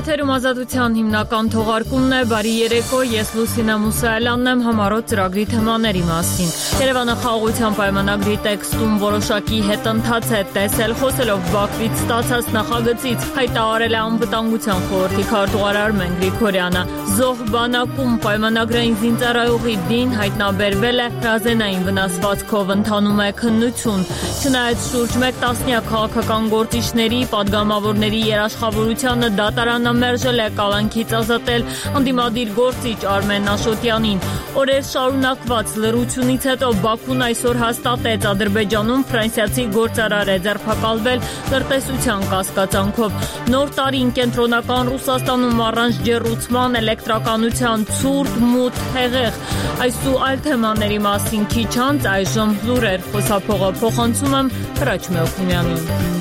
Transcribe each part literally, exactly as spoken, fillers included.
Եթերում ազատության հիմնական թողարկումն է, բարի երեկո, ես Լուսինա Մուսայելյանն եմ, համառոտ ծրագրի թեմաների մասին։ Երևանը խաղաղության պայմանագրի տեքստում որոշակի հետընթաց է տեսել, խոսելով Բաքվից ստացած նախագծից, հայտարարել է անվտանգության խորհրդի քարտուղար Արմեն Գրիգորյանը։ Զոհ բանակում պայմանագրային զինծառայողի դին հայտնաբերվել է, հրազենային վնասվածքով ընթանում է քննություն։ Չնայած շուրջ մեկ տասնյակ քաղաքական գործիչների, պատգամավորների երաշխավորությանը դատարանը մերժել է կալանքից ազատել ընդդիմադիր գործիչ Արմեն Աշոտյանին։ Օրեր շարունակված լռությունից հետո Բաքուն այսօր հաստատեց Ադրբեջանում ֆրանսիացի գործարար է ձերբակալվել լրտեսության կասկածանքով։ Նոր տարին կենտրոնական Ռուսաստանում առանց ջեռուցման, էլեկտրականության ցուրտ, մութ, հեղեղ։ Այս ու այլ թեմաների մասին քիչ անց այժմ լուրեր, խոսափողը փոխանցում եմ Հրաչ Մելքումյանին։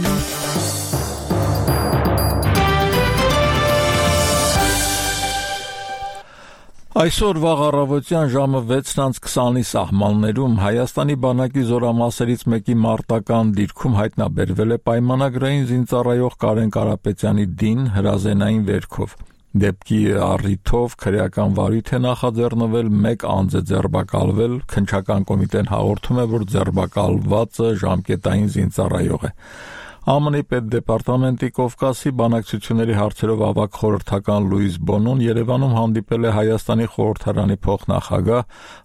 Այսօր վաղ առավոտյան ժամը վեցն քսանի սահմաններում Հայաստանի բանակի զորամասերից մեկի մարտական դիրքում հայտնաբերվել է պայմանագրային զինծառայող Կարեն Կարապետյանի դին հրազենային վերքով։ Դեպքի առիթով քրեական վարույթ է նախաձեռնվել, մեկ անձ է ձերբակալվել, քննչական կոմիտեն հաղորդում է, որ ձերբակալվածը ժամկետային զինծառայող է։ ԱՄՆ-ի պետդեպարտամենտի Կովկասի բանակցությունների հարցերով ավագ խորհրդական Լուիս Բոնոն Երևանում հանդիպել է Հայաստանի խորհրդարանի փոխնախագահ,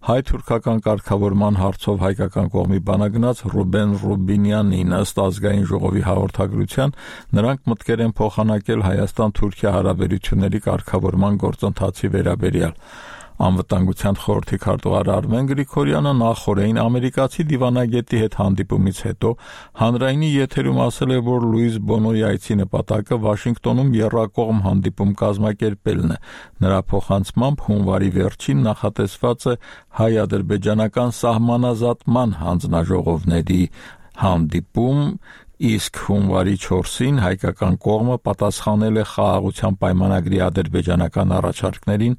հայ-թուրքական կարգավորման հարցով հայկական կողմի բանագնաց Ռուբեն Ռուբինյանին։ Ըստ ազգային ժողովի հաղորդագրության նրանք մտկեր են փոխանակել Հայաստան-Թուրքիա հարաբերությունների կարգավորման գործընթացի վերաբերյալ։ Անվտանգության խորհրդի քարտուղար Արմեն Գրիգորյանը նախորդին ամերիկացի դիվանագետի հետ հանդիպումից հետո հանրայինի եթերում ասել է, որ Լուիս Բոնոյի այցի նպատակը Վաշինգտոնում եռակողմ հանդիպում կազմակերպելն է։ Նրա փոխանցմամբ հունվարի վերջին նախատեսված է հայ-ադրբեջանական սահմանազատման հանձնաժողովների հանդիպում, իսկ հունվարի չորսին հայկական կողմը պատասխանել է խաղաղության պայմանագրի ադրբեջանական առաջարկներին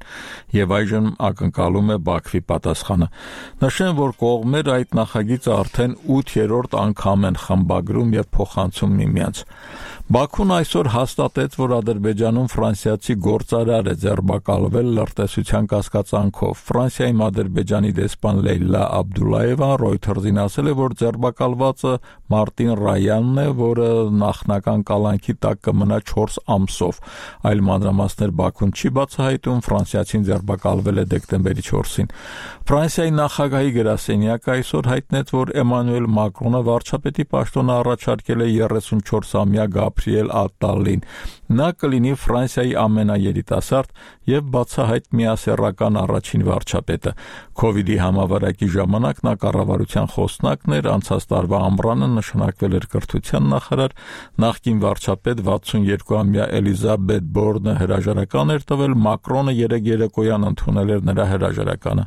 եւ այժմ ակնկալում է Բաքվի պատասխանը։ Նշեմ, որ կողմերը այդ նախագիծը արդեն ութերորդ անգամ են խմբագրում եւ փոխանցում միմյանց։ Բաքուն այսօր հաստատեց, որ Ադրբեջանում ֆրանսիացի գործարար է ձերբակալվել լրտեսության կասկածանքով։ Ֆրանսիայում Ադրբեջանի դեսպան Լեյլա Աբդուլլայևան Reuters-ին ասել է, որ ձերբակալվածը Մարտին Ռայանն է, որը նախնական կալանքի տակ կմնա չորս ամսով։ Այլ մանրամասներ Բաքուն չի բացահայտում, ֆրանսիացին ձերբակալվել է դեկտեմբերի չորսին։ Ֆրանսիայի նախագահի գրասենյակը այսօր հայտնեց, որ Էմանուել Մակրոնը վարչապետի պաշտոնը առաջարկել է երեսունչորսամյա Գաբրիել Ատտալին։ Նա կլինի Ֆրանսիայի ամենաերիտասարդ եւ բացահայտ միասեռական առաջին վարչապետը։ Քովիդի համավարակի ժամանակ նա կառավարության խոսնակն էր, անցած տարվա ամռանը նշանակվել էր կրթության նախարար, նախկին վարչապետ վաթսունյոթամյա Էլիզաբեթ Բորնը հրաժարական էր տվել, Մակրոնը երեկ երեկոյան ընդունել էր նրա հրաժարականը։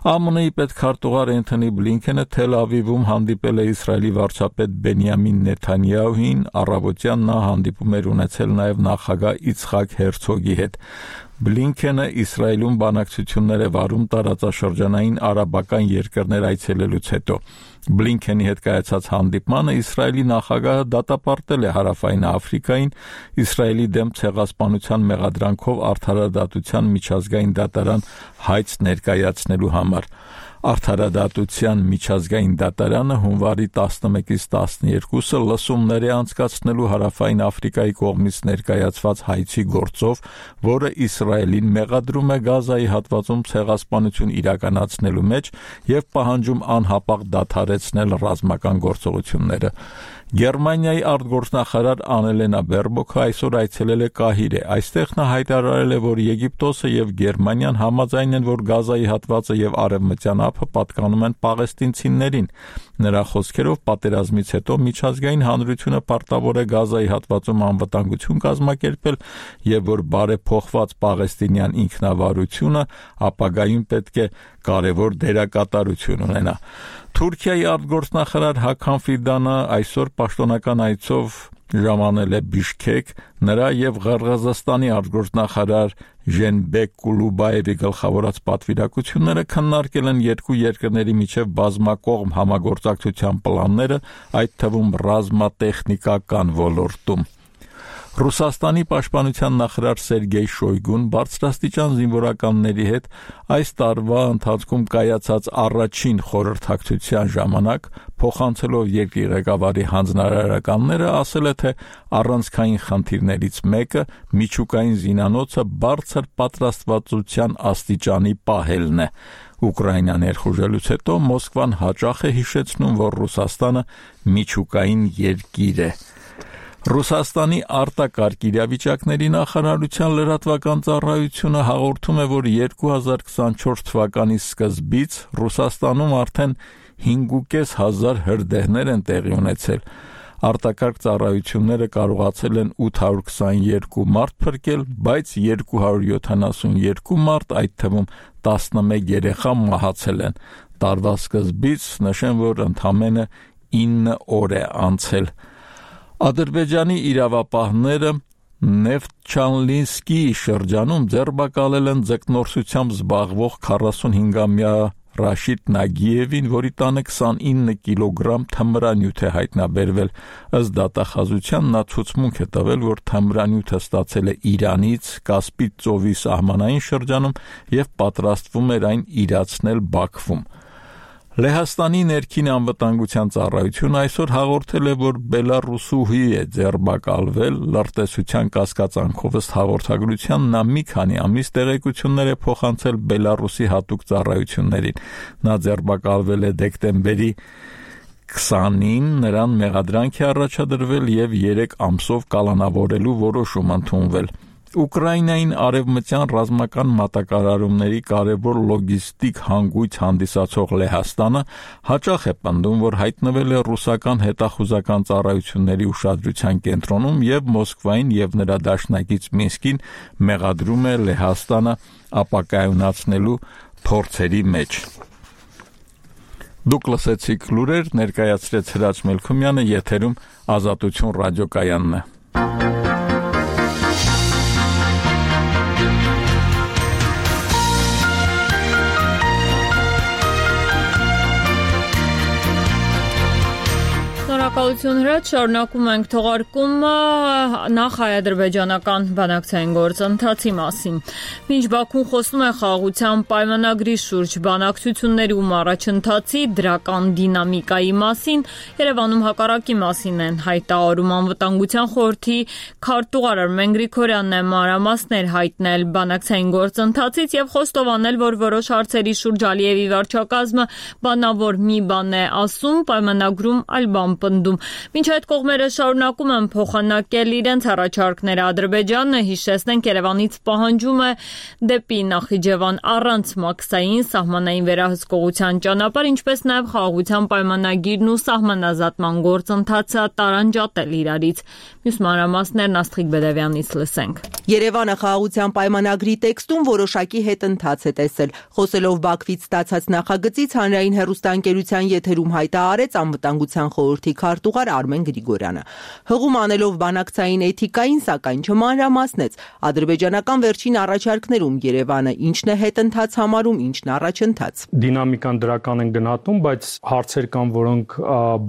ԱՄՆ-ի պետքարտուղար Էնթոնի Բլինքենը Թել Ավիվում հանդիպել է Իսրայելի վարչապետ Բենյամին Նեթանյահուին, առավոտյան նա հանդիպում էր ունեցել նաև նախագահ Իցխակ Հերցոգի հետ։ Բլինքենը Իսրայելում բանակցություններ է վարում տարածաշրջանային արաբական երկրներ այցելելուց հետո։ Բլինքենի հետ կայացած հանդիպմանը Իսրայելի նախագահը դատապարտել է Հարավային Աֆրիկային Իսրայելի դեմ ցեղասպանության մեղադրանքով արդարադատության միջազգային դատարան հայց ներկայացնելու համար։ Արդարադատության միջազգային դատարանը հունվարի տասնմեկից տասներկուսը լսումներ է անցկացնելու Հարավային Աֆրիկայի կողմից ներկայացված հայցի գործով, որը Իսրայելին մեղադրում է Գազայի հատվածում ցեղասպանություն իրականացնելու մեջ եւ պահանջում անհապաղ դադարեցնել ռազմական գործողությունները։ Գերմանիայի արտգործնախարար Անելենա Բերբոքը այսօր այցելել է Կահիրե։ Այստեղ նա հայտարարել է, որ Եգիպտոսը եւ Գերմանիան համաձայն են, որ Գազայի հատվածը եւ արևմտյան ափը պատկանում են պաղեստինցիներին։ Նրա խոսքերով պատերազմից հետո միջազգային հանրությունը պարտավոր է Գազայի հատվածում անվտանգություն կազմակերպել եւ որ բարեփոխված պաղեստինյան ինքնավարությունը ապագայում պետք է կարևոր դերակատարություն ունենա։ Թուրքիայի արտգործնախարար Հական Ֆիդանը այսօր պաշտոնական այցով ժամանել է Բիշքեկ, նրա եւ Ղրղզստանի արտգործնախարար Ժենբեկ Կուլուբաևի գլխավորած պատվիրակությունները քննարկել են երկու երկրների միջև բազմակողմ համագործակցության պլանները, այդ թվում ռազմատեխնիկական ոլորտում։ Ռուսաստանի պաշտպանության նախարար Սերգեյ Շոյգուն բարձրաստիճան զինվորականների հետ այս տարվա ընթացքում կայացած առաջին խորհրդակցության ժամանակ փոխանցելով երկրի ղեկավարի հանձնարարականները ասել է, թե առանցքային խնդիրներից մեկը միջուկային զինանոցը բարձր պատրաստվածության աստիճանի պահելն է։ Ուկրաինա ներխուժելուց հետո Մոսկվան հաճախ է հիշեցնում, որ Ռուսաստանը միջուկային երկիր է։ Ռուսաստանի արտակարգ իրավիճակների նախարարության լրատվական ծառայությունը հաղորդում է, որ երկու հազար քսանչորս թվականի սկզբից Ռուսաստանում արդեն հինգ հազար հրդեհներ են տեղի ունեցել։ Արտակարգ ծառայությունները կարողացել են ութ հարյուր քսաներկու մարդ փրկել, բայց երկու հարյուր յոթանասունյոթ մարդ, այդ թվում տասնմեկ երեխա մահացել են։ Տարվա սկզբից նշեմ, որ ընդամենը ինը օր է անցել։ Ադրբեջանի իրավապահները Նեֆթչանլինսկի շրջանում ձերբակալել են ձկնորսությամբ զբաղվող քառասունհինգամյա Ռաշիդ Նագիևին, որի տանը քսանինը կիլոգրամ թմրանյութ է հայտնաբերվել։ Ըստ դատախազության նա ցուցմունք է տվել, որ թմրանյութը ստացել է Իրանից, Կասպից ծովի սահմանային շրջանում և պատրաստվում էր այն իրացնել Բաքվում։ Լեհաստանի ներքին անվտանգության ծառայությունը այսօր հաղորդել է, որ բելառուսուհի է ձերբակալվել լրտեսության կասկածանքով ըստ հաղորդագրության նա մի քանի ամիս տեղեկություններ է փոխանցել Բելառուսի հատուկ ծառայություններին։ Նա ձերբակալվել է դեկտեմբերի քսանին, նրան մեղադրանք է առաջադրվել և երեք ամսով կալանավորելու որոշում ընդունվել։ Ուկրաինային արևմտյան ռազմական մատակարարումների կարևոր լոգիստիկ հանգույց հանդիսացող Լեհաստանը հաճախ է պնդում, որ հայտնվել է ռուսական հետախուզական ծառայությունների ուշադրության կենտրոնում և Մոսկվային և նրա դաշնակից Մինսկին մեղադրում է Լեհաստանը ապակայունացնելու փորձերի մեջ։ Դուք լսեցիք լուրեր, ներկայացրեց Հրաչ Մելքումյանը, եթերում Ազատություն ռադիոկայանն է։ Շնորհակալություն Հրաչ, շարունակում ենք թողարկումը նախ հայ-ադրբեջանական բանակցային գործընթացի մասին։ Մինչ Բաքուն խոսում է խաղաղության պայմանագրի շուրջ բանակցություններում առաջընթացի դրական դինամիկայի մասին, Երևանում հակառակի մասին են հայտարարում անվտանգության խորհրդի քարտուղար Արմեն Գրիգորյանն է մանրամասներ հայտնել բանակցային գործընթացից և խոստովանել, որ որոշ հարցերի շուրջ Ալիևի վարչակազմը բանավոր մի բան է ասում, պայմանագրում այլ բան պնդում։ Մինչ այդ կողմերը շարունակում են փոխանակել իրենց առաջարկները, Ադրբեջանը, հիշեցնենք, Երևանից պահանջում է դեպի Նախիջևան առանց մաքսային սահմանային վերահսկողության ճանապարհ, ինչպես նաև խաղաղության պայմանագիրն ու սահմանազատման գործընթացը տարանջատել իրարից։ Մյուս մանրամասներն Աստղիկ Բեդևյանից լսենք։ Երևանը խաղաղության պայմանագրի տեքստում որոշակի հետընթաց է տեսել։ Խոսելով Բաքվից ստացած նախագծից հանրային հեռուստաընկերության եթերում հայտարարեց անվտանգության խորհրդի քարտուղար Արմեն Գրիգորյանը։ Հղում անելով բանակցային էթիկային, սակայն չմանրամասնեց ադրբեջանական վերջին առաջարկներում Երևանը ինչն է հետընթաց համարում, ինչն առաջընթաց։ Դինամիկան դրական են գնահատում, բայց հարցեր կան, որոնք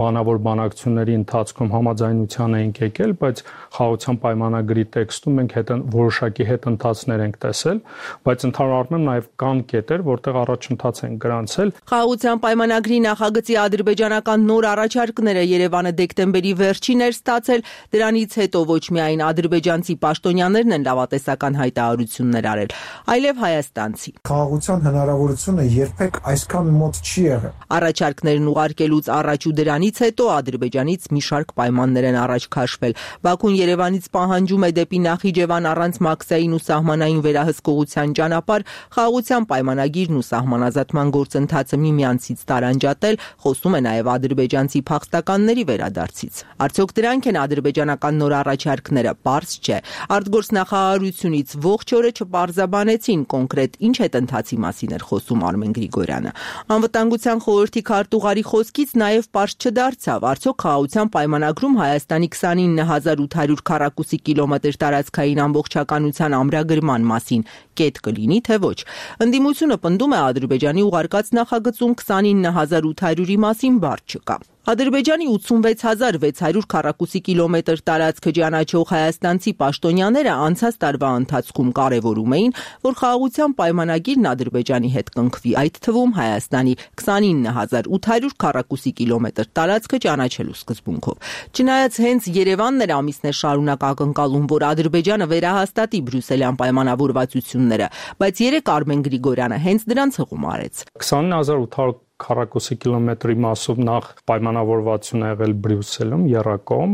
բանավոր բանակցությունների ընթացքում համաձայնության ենք եկել, բայց խաղաղության պայմանագրի տեքստում մենք որոշակի հետընթացներ ենք տեսել, բայց ընդհանուր առմամբ նաև կան կետեր, որտեղ առաջընթաց են գրանցել։ Խաղաղության պայմանագրի նախագծի ադրբեջանական նոր առաջարկները Երևանը դեկտեմբերի վերջին էր ստացել, դրանից հետո ոչ միայն ադրբեջանցի պաշտոնյաներն են լավատեսական հայտարարություններ արել, այլև հայաստանցի։ Խաղաղության հնարավորությունը երբեք այսքան մոտ չի եղել։ Առաջարկներն ուղարկելուց առաջ ու դրանից հետո Ադրբեջանից մի շարք պայմաններ են առաջ քաշվել։ Բաքուն Երևանից պահանջում է դեպի Նախիջևան առանց մաքսային ու սահմանային վերահսկողության ճանապարհ, խաղաղության պայմանագիրն ու սահմանազատման գործընթացը միմյանցից տարանջատել, խոսում է նաև ադրբեջանցի փախստականների վերադարձից։ Արդյոք դրանք են ադրբեջանական նոր առաջարկները, պարզ չէ։ Արտգործնախարարությունից ողջ օրը չպարզաբանեցին կոնկրետ ինչ հետընթացի մասին էր խոսում Արմեն Գրիգորյանը։ Անվտանգության խորհրդի քարտուղարի խոսքից նաև պարզ չդարձավ, արդյոք խաղաղության պայմանագրում Հայաստանի քսանինը հազար ութ հարյուր քառակուսի կիլոմետր տարածքային ամբողջականության ամրագրման մասին կետ կլինի, թե ոչ։ Ընդդիմությունը պնդում է Ադրբեջանի ուղարկած նախագծում քսանինը հազար ութ հարյուրի մասին բառ չկա։ Ադրբեջանի ութսունվեց հազար վեց հարյուր քառակուսի կիլոմետր տարածքը ճանաչող հայաստանցի պաշտոնյաները անցած տարվա ընթացքում կարևորում էին, որ խաղաղության պայմանագիրն Ադրբեջանի հետ կնքվի, այդ թվում Հայաստանի քսանինը հազար ութ հարյուր քառակուսի կիլոմետր տարածքը ճանաչելու սկզբունքով։ Չնայած հենց Երևանն էր ամիսներ շարունակ ակնկալում, որ Ադրբեջանը վերահաստատի բրյուսելյան պայմանավորվածությունները, բայց երեկ Արմեն Գրիգորյանը հենց դրանց հղում արեց։ քսանինը հազար ութ հարյուր քառակուսի կիլոմետրի մասով նախ պայմանավորվածություն ա եղել Բրյուսելում, Եռակոմ,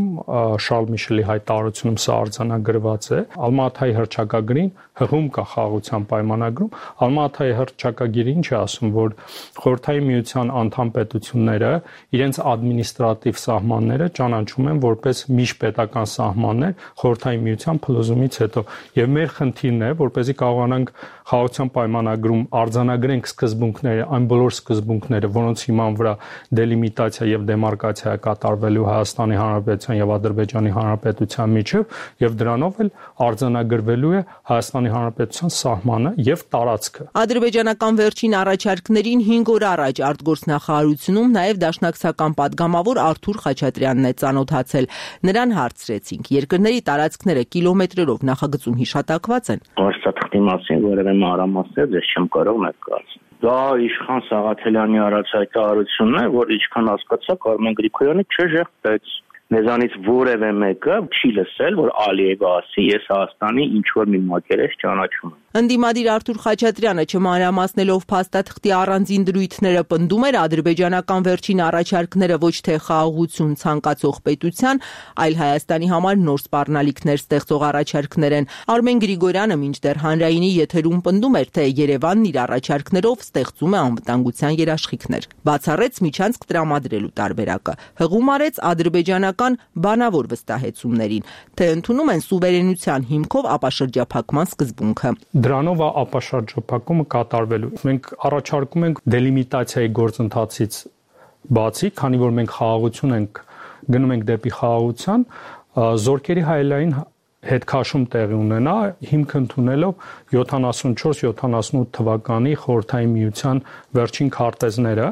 Շարլ Միշելի հայտարարությունում սա արձանագրված է։ Ալմատայի հռչակագրին հղում կա խաղաղության պայմանագրում։ Ալմատայի հռչակագիրը ինչ է ասում, որ Խորհրդային Միության անդամ պետությունները իրենց ադմինիստրատիվ սահմանները ճանաչում են որպես միջպետական սահմաններ Խորհրդային Միության փլուզումից հետո։ Եվ մեր խնդիրն է, որպեսզի կարողանանք խաղաղության պայմանագրում արձանագրենք սկզբունքները, այն բոլոր սկզբունքները, որոնց հիման վրա դելիմիտացիա եւ դեմարկացիա է կատարվելու Հայաստանի Հանրապետության եւ Ադրբեջանի Հանրապետության միջև, եւ դրանով էլ արձանագրվելու է Հայաստանի Հանրապետության սահմանը եւ տարածքը։ Ադրբեջանական վերջին առաջարկներին հինգ օր առաջ արտգործնախարարությունում նաեւ դաշնակցական падգամավոր Արթուր Խաչատրյանն է ծանոթացել։ Նրան հարցրեցինք. երկրների տարածքները կիլոմետրերով նախագծում հիշատակված են։ Հաստատքի մասին որևէ մանրամասներ ես չեմ կարող ներկայացնել։ Դա Իշխան Սաղաթելյանի առաջ հայտարարությունն է, որ ինչքան հասկացա, Արմեն Գրիգորյանը չժեղտեց։ Մեզանից որևէ մեկը չի լսել, որ Ալիևը ասի, ես Հայաստանի ինչ-որ մի մակերես ճանաչում եմ։ Ընդդիմադիր Արթուր Խաչատրյանը չմանրամասնելով փաստաթղթի առանձին դրույթները պնդում էր ադրբեջանական վերջին առաջարկները ոչ թե խաղաղություն ցանկացող պետության, այլ Հայաստանի համար նոր սպառնալիքներ ստեղծող առաջարկներ են։ Արմեն Գրիգորյանը մինչդեռ հանրայինի եթերում պնդում էր, թե Երևանն իր առաջարկներով ստեղծում է անվտանգության երաշխիքներ։ Բացառեց միջանցք տրամադրելու տարբերակը։ Հղում արեց ադրբեջանական բանավոր վստահեցումներին, թե ընդունում են սուվերենության հիմքով ապաշրջափակման սկզբունքը։ Դրանով ապաշրջափակումը կատարվելու։ Մենք առաջարկում ենք դելիմիտացիայի գործընթացից բացի, քանի որ մենք խաղաղություն ենք գնում ենք դեպի խաղաղության, զորքերի հայելային հետքաշում տեղի ունենա, հիմք ընդունելով յոթանասունչորս յոթանասունութ թվականի Խորհրդային Միության վերջին քարտեզները,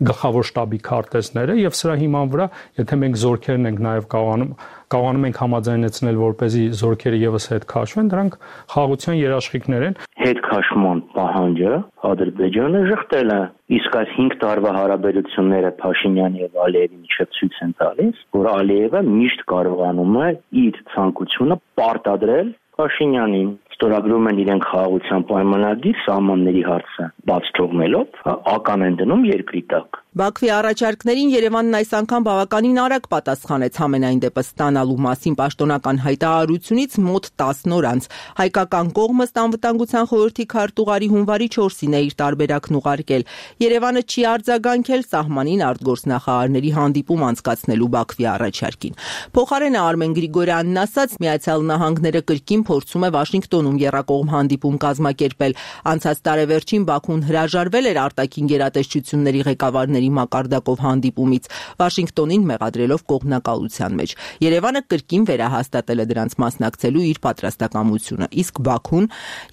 գլխավոր շտաբի քարտեզները, եւ սրա հիման վրա, եթե մենք զորքերն ենք նաեւ կարողանում կարողանում ենք համաձայնեցնել, որպեսզի զորքերը եւս հետ քաշվեն, դրանք խաղաղության երաշխիքներ են։ Հետքաշման պահանջը Ադրբեջանը ժխտել է, իսկ այս հինգ տարվա հարաբերությունները Փաշինյանի եւ Ալիևի միջեւ ցույց են տալիս, որ Ալիևը միշտ կարողանում է իր ցանկությունը պարտադրել Փաշինյանին։ Ստորագրում են իրենք խաղաղության պայմանագիր, սահմանների հարցը բաց թողնելով, ական են դնում երկրի տակ։ Բաքվի առաջարկներին Երևանն այս անգամ բավականին արագ պատասխանեց համենայն դեպս ստանալու մասին պաշտոնական հայտարարությունից մոտ տասն օր անց։ Հայկական կողմը Անվտանգության խորհրդի քարտուղարի հունվարի չորսին է իր տարբերակն ուղարկել։ Երևանը չի արձագանքել սահմանին արտգործնախարարների հանդիպում անցկացնելու Բաքվի առաջարկին։ Փոխարենը Արմեն Գրիգորյանն ասաց, Միացյալ Նահանգները կրկին փորձում է Վաշինգտոնում եռակողմ հանդիպում կազմակերպել։ Անցած տարեվերջին Բաքուն հրաժարվել էր արտաքին գերատեսչությունների ղեկավարների մակարդակով հանդիպումից, Վաշինգտոնին մեղադրելով կողմնակալության մեջ։ Երևանը կրկին վերահաստատել է դրանց մասնակցելու իր պատրաստակամությունը, իսկ Բաքուն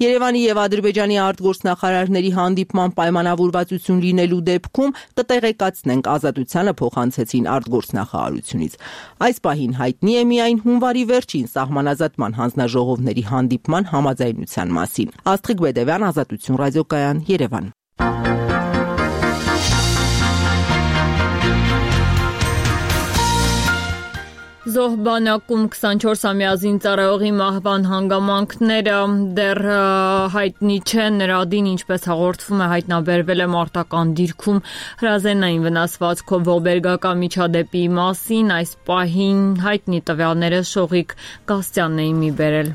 Երևանի եւ Ադրբեջանի արտգործնախարարների հանդիպման պայմանավորվածություն լինելու դեպքում կտեղեկացնենք ազատությանը փոխանցեցին արտգործնախարարությունից։ Այս պահին հայտնի է միայն հունվարի վերջին սահմանազատման հանձնաժողովների հանդիպման համաձայնության մասին։ Աստղիկ Բեդևյան, Ազատություն ռադիոկայան, Երևան։ Զոհ բանակում քսանչորսամյա զինծառայողի մահվան հանգամանքները դեռ հայտնի չեն, նրա դին, ինչպես հաղորդվում է, հայտնաբերվել է մարտական դիրքում հրազենային վնասվածքով ողբերգական միջադեպի մասին, այս պահին հայտնի տվյալները Շողիկ Գաստյանն էին մի բերել։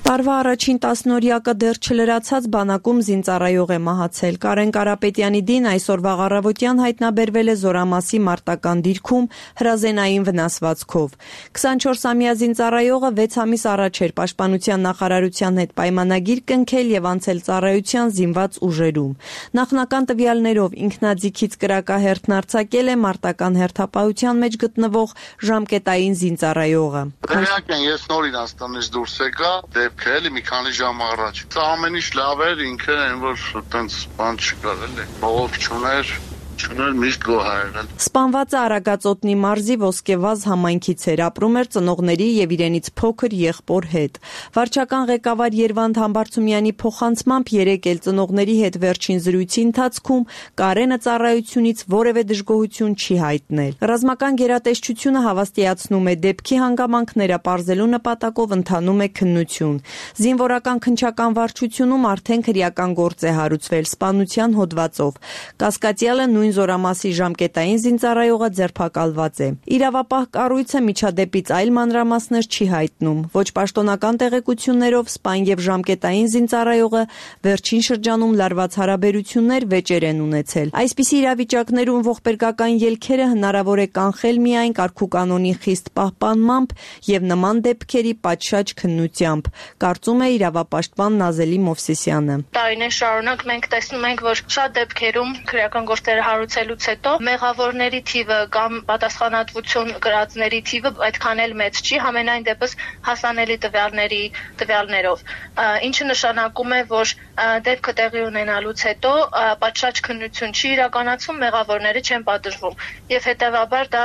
Տարվա առաջին տասնօրյակը դեռ չլրացած բանակում զինծառայող է մահացել։ Կարեն Կարապետյանի դին այսօրվա առավոտյան հայտնաբերվել է Զորամասի մարտական դիրքում հրազենային վնասվածքով։ քսանչորսամյա զինծառայողը վեց ամիս առաջ էր Պաշտպանության նախարարության հետ պայմանագիր կնքել եւ անցել ծառայության զինված ուժերում։ Նախնական տվյալներով ինքնաձիգից կրակահերթն արձակել է մարտական հերթապահության մեջ գտնվող ժամկետային զինծառայողը։ Տեղյակ են, ես նոր Իրանստանից դուրս եկա, դեպքը էլի մի քանի ժամ առաջ։ Սա ամեն ինչ լավ էր, ինքը այն որ տենց բան չկար էլի։ Բողոք չուներ, Չուներ միշտ գոհ եղել։ Սպանվածը Արագածոտնի մարզի Ոսկեվազ համայնքից էր, ապրում էր ծնողների եւ իրենից փոքր եղբոր հետ։ Վարչական ղեկավար Երվանդ Համբարձումյանի փոխանցմամբ երեկ էլ ծնողների հետ վերջին զրույցի ընթացքում Կարենը ծառայությունից որևէ դժգոհություն չի հայտնել։ Ռազմական գերատեսչությունը հավաստիացնում է, դեպքի հանգամանքները պարզելու նպատակով ընթանում է քննություն։ Զինվորական քննչական վարչությունում արդեն քրեական գործ է հարուցվել սպանության հոդվածով։ Կասկածյալը նույն զորամասի ժամկետային զինծառայողը ձերբակալված է։ Իրավապահ կառույցը միջադեպից այլ մանրամասներ չի հայտնում։ Ոչ պաշտոնական տեղեկություններով սպան եւ ժամկետային զինծառայողը վերջին շրջանում լարված հարաբերություններ վեճեր են ունեցել։ Այսպիսի իրավիճակներում ողբերգական ելքերը հնարավոր է կանխել միայն կարգուկանոնի խիստ պահպանմամբ եւ նման դեպքերի պատշաճ քննությամբ, կարծում է իրավապաշտպան Նազելի Մովսիսյանը։ Տարիներ շարունակ մենք տեսնում ենք, որ շատ դեպքերում քրեական գործերը հարուցելուց հետո մեղավորների թիվը կամ պատասխանատվություն կրածների թիվը այդքան էլ մեծ չի, համենայն դեպս հասանելի տվյալների տվյալներով, ինչը նշանակում է, որ դեպքը տեղի ունենալուց հետո պատշաճ քննություն չի իրականացվում, մեղավորները չեն պատժվում եւ հետեւաբար դա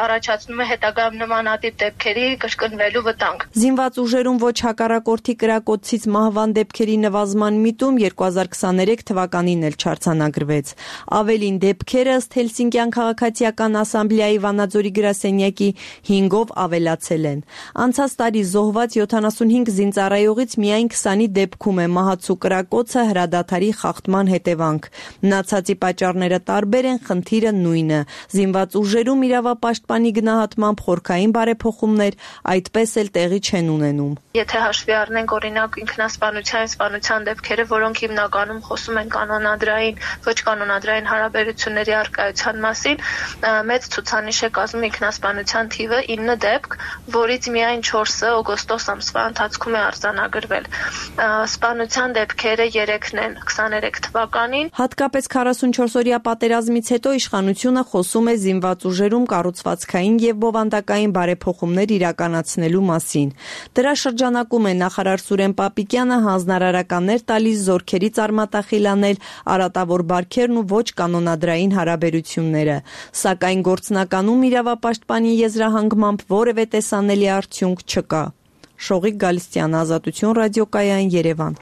առաջացնում է հետագայում նմանատիպ դեպքերի կրկնվելու վտանգ։ Զինված ուժերում ոչ հակառակորդի կրակոցից մահվան դեպքերի նվազման միտում երկու հազար քսաներեք թվականին էլ չարձանագրվեց։ Ավելին դեպքերը ըստ Հելսինկյան քաղաքացիական ասամբլեայի Վանաձորի գրասենյակի հինգով ավելացել են։ Անցած տարի զոհված յոթանասունհինգ զինծառայողից միայն քսանի դեպքում է մահացու կրակոցը հրադադարի խախտման հետևանք։ Մնացածի պատճառները տարբեր են, խնդիրը նույնը։ Զինված ուժերում իրավապաշտպանի գնահատմամբ խորքային բարեփոխումներ այդպես էլ տեղի չեն ունենում։ Եթե հաշվի առնենք օրինակ ինքնասպանության, սպանության դեպքերը, որոնք հիմնականում խոսում են կանոնադրային, ոչ կանոնադրային հարաբերությունների առկայության մասին, մեծ ցուցանիշ է կազմում ինքնասպանության թիվը ինը դեպք, որից միայն չորսը օգոստոս ամսվա ընթացքում է արձանագրվել։ Սպանության դեպքերը երեքն են քսաներեք թվականին։ Հատկապես քառասունչորսօրյա պատերազմից հետո իշխանությունը խոսում է զինված ուժերում կառուցվածքային եւ բովանդակային բարեփոխումներ իրականացնելու մասին։ Դրա շրջանակում է նախարար Սուրեն Պապիկյանը հանձնարարականներ տալիս զորքերից արմատախիլանել արատավոր բարքերն ու ոչ կանոնադրային հարաբերությունները, սակայն գործնականում իրավապաշտպանի եզրահանգմամբ որևէ տեսանելի արդյունք չկա։ Շողիկ Գալստյան, Ազատություն ռադիոկայան, Երևան։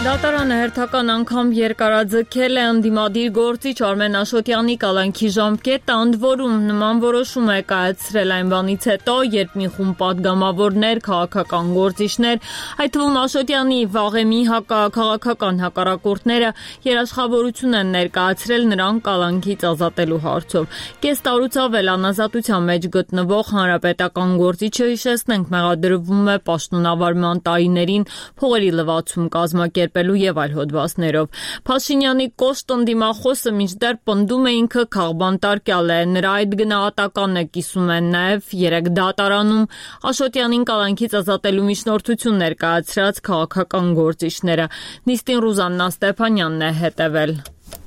Դատարանը հերթական անգամ երկարաձգել է ընդդիմադիր գործիչ Արմեն Աշոտյանի կալանքի ժամկետը, ընդ որում նման որոշում է կայացրել այն բանից հետո, երբ մի խումբ պատգամավորներ, քաղաքական գործիչներ, այդ թվում Աշոտյանի վաղեմի հակաքաղաքական հակառակորդները երաշխավորություն են ներկայացրել նրան կալանքից ազատելու հարցով։ Կես տարուց ավել անազատության մեջ գտնվող հանրապետական գործիչը, հիշեցնենք, մեղադրվում է պաշտոնավարման տարիներին փողերի լվացում կազմակերպել եւ այլ հոդվածներով։ Փաշինյանի կոշտ ընդդիմախոսը մինչդեռ պնդում է ինքը քաղբանտարկյալ է, նրա այդ գնահատականը կիսում են նաեւ երեք դատարանում Աշոտյանին կալանքից ազատելու միջնորդություն ներկայացրած քաղաքական գործիչները։ Նիստին Ռուզաննա Ստեփանյանն է հետևել։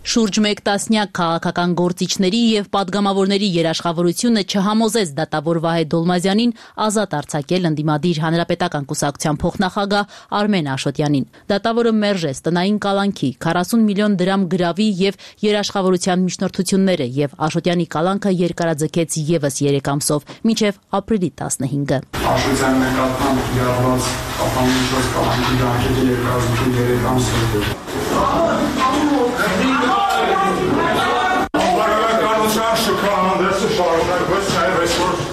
Շուրջ մեկ տասնյակ քաղաքական գործիչների եւ պատգամավորների երաշխավորությունը չհամոզեց դատավոր Վահե Դոլմազյանին ազատ արձակել ընդդիմադիր հանրապետական կուսակցության փոխնախագահ Արմեն Աշոտյանին։ Դատավորը մերժեց տնային կալանքի, քառասուն միլիոն դրամ գրավի եւ երաշխավորության միջնորդությունները եւ Աշոտյանի կալանքը երկարաձգեց եւս երեք ամսով, մինչեւ ապրիլի տասնհինգը։ Աշոտյանի նկատմամբ կիրառված կապանմունքով կալանքի ժամկետը երկարաձգել երեք ամսով։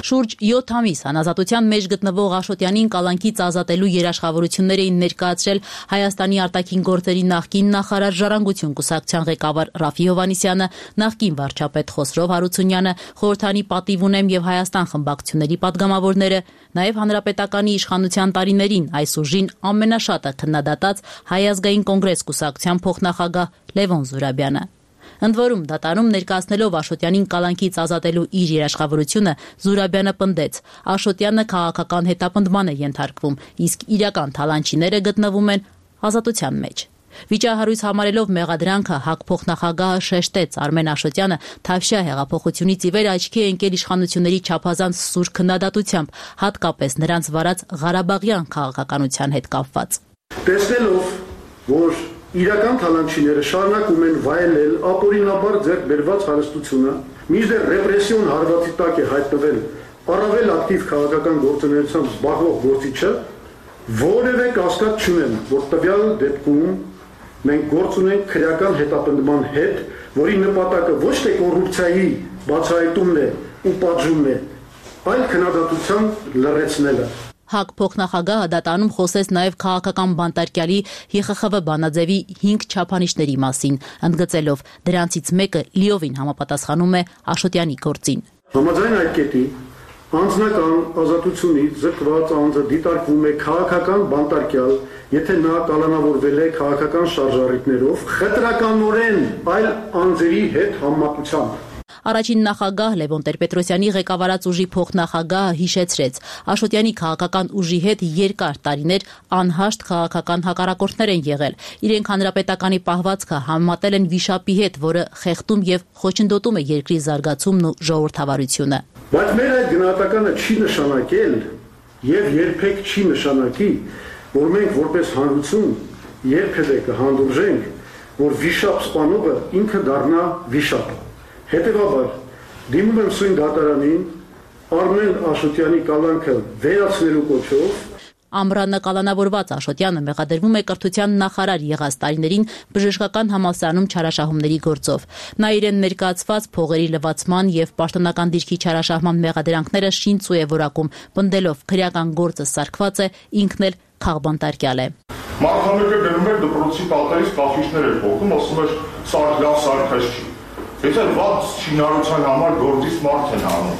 Շուրջ յոթ ամիս անազատության մեջ գտնվող Աշոտյանին կալանքից ազատելու երաշխավորություններ էին ներկայացրել Հայաստանի արտաքին գործերի նախկին նախարար Ժառանգություն կուսակցության ղեկավար Ռաֆի Հովհաննիսյանը, նախկին վարչապետ Խոսրով Հարությունյանը, խորհրդանի պատիվ ունեմ եւ Հայաստան խմբակցությունների պատգամավորները, նաեւ հանրապետականի իշխանության տարիներին այս ուժին ամենաշատը քննադատած Հայ ազգային կոնգրես կուսակցության փոխնախագահ Լևոն Զուրաբյանը։ Ընդ որում դատարանում ներկայացնելով Աշոտյանին կալանքից ազատելու իր երաշխավորությունը Զուրաբյանը պնդեց. Աշոտյանը քաղաքական հետապնդման է ենթարկվում, իսկ իրական թալանչիները գտնվում են ազատության մեջ։ Վիճահարույց համարելով մեղադրանքը ՀԱԿ փոխնախագահը շեշտեց Արմեն Աշոտյանը Թավշյա հեղափոխությունից ի վեր աչքի է ընկել իշխանությունների չափազանց սուր քննադատությամբ, հատկապես նրանց վարած Ղարաբաղյան քաղաքականության հետ կապված։ Տեսնելով, որ իրական թալանչիները շարունակում են վայելել ապօրինաբար ձեռք բերված հարստությունը, մինչդեռ ռեպրեսիոն հարվածի տակ է հայտնվել առավել ակտիվ քաղաքական գործունեությամբ զբաղվող գործիչը, որևէ կասկած չունեմ, որ տվյալ դեպքում մենք գործ ունենք քրեական հետապնդման հետ, որի նպատակը ոչ թե կոռուպցիայի բացահայտումն է ու պատժումն է, այլ քննադատության լրացնելը։ ՀԱԿ փոխնախագահը դատարանում խոսեց նաև քաղաքական բանտարկյալի ՀԽԽՎ բանաձևի հինգ չափանիշների մասին, ընդգծելով դրանցից մեկը լիովին համապատասխանում է Աշոտյանի գործին։ Համաձայն այդ կետի անձնական ազատությունից զրկված անձը դիտարկվում է քաղաքական բանտարկյալ, եթե նա կալանավորվել է քաղաքական շարժառիթներով, խտրականորեն այլ անձերի հետ համեմատությամբ։ Առաջին նախագահ Լևոն Տեր-Պետրոսյանի ղեկավարած ուժի փոխնախագահը հիշեցրեց, Աշոտյանի քաղաքական ուժի հետ երկար տարիներ անհաշտ քաղաքական հակառակորդներ են եղել։ Իրենք հանրապետականի պահվածքը համեմատել են վիշապի հետ, որը խեղդում եւ խոչընդոտում է երկրի զարգացումն ու ժողովրդավարությունը։ Բայց մեր այդ գնահատականը չի նշանակել եւ երբեք չի նշանակի, որ մենք որպես հանրություն երբևէ կհանդուրժենք, որ վիշապ սպանողը ինքը դառնա վիշապ։ Հետևաբար, դիմում եմ սույն դատարանին Արմեն Աշոտյանի կալանքը վերացնելու կոչով։ Ամռանը կալանավորված Աշոտյանը մեղադրվում է կրթության նախարար եղած տարիներին բժշկական համալսարանում չարաշահումների գործով։ Նա իրեն ներկայացված փողերի լվացման եւ պաշտոնական դիրքի չարաշահման մեղադրանքները շինծու է որակում, պնդելով քրեական գործը սարքված է, ինքն էլ քաղբանտարկյալ է։ Մարդամեկը գնում էր դպրոցի պատերից կախիչներ էր փոխում, ասում էր սարք լավ սարքած չի։ Եթե վատ շինարարության համար գործից մարդ են անում,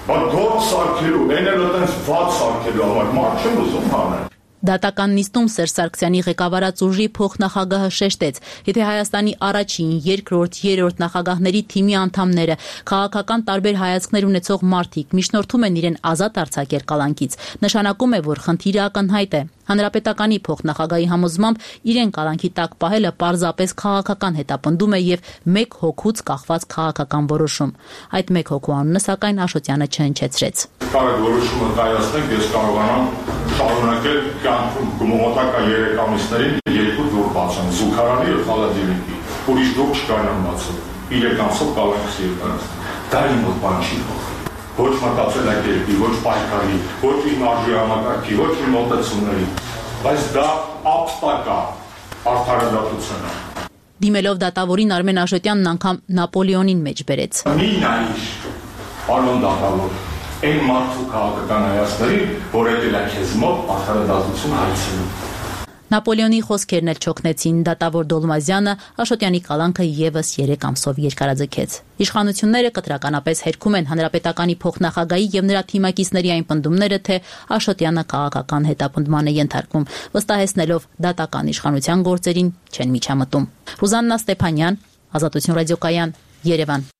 բայց գործ սարքելու, այն էլ այդպես վատ սարքելու համար մարդ չեմ ուզում անել։ Դատական նիստում Սերժ Սարգսյանի ղեկավարած ուժի փոխնախագահը շեշտեց, եթե Հայաստանի առաջին, երկրորդ, երրորդ նախագահների թիմի անդամները, քաղաքական տարբեր հայացքներ ունեցող մարդիկ միջնորդում են իրեն ազատ արձակել կալանքից, նշանակում է, որ խնդիրը ակնհայտ է։ Հանրապետականի փոխնախագահի համոզմամբ իրեն կալանքի տակ պահելը պարզապես քաղաքական հետապնդում է եւ մեկ հոգուց կախված քաղաքական որոշում։ Այդ մեկ հոգու անունը սակայն Աշոտյանը չհնչեցրեց։ Կարող որոշումը կայացնենք, ես կարողանամ շարունակել կյանքում գումոտակա երեք ամիսներին երկու դուռ բացեմ, զուգարանի եւ խալադիլիկի։ Ուրիշ դուռ չկարողանամ բացել։ Իրեք ամսով կալանքս երկարացնել։ Դա իմ մոտ բան չի փոխել։ Ոչ մտածելակերպի, ոչ պայքարի, ոչ իմ արժի համակարգի, ոչ իմ մոտեցումների, բայց դա ապստակա արդարադատություն է։ Դիմելով դատավորին Արմեն Աշոտյանն անգամ Նապոլեոնին մեջ բերեց։ Մի նայիր, պարոն դատավոր, այն մարդու քաղաքական հայացքներին, որ եկել է քեզ մոտ արդարադատություն հայցելու։ Նապոլեոնի խոսքերն էլ չօգնեցին, դատավոր Դոլմազյանը Աշոտյանի կալանքը եւս երեք ամսով երկարաձգեց։ Իշխանությունները կտրականապես հերքում են հանրապետականի փոխնախագահի եւ նրա թիմակիցների այն պնդումները, թե Աշոտյանը քաղաքական հետապնդման է ենթարկվում, վստահեցնելով դատական իշխանության գործերին չեն միջամտում։ Ռուզաննա Ստեփանյան, Ազատություն ռադիոկայան, Երևան։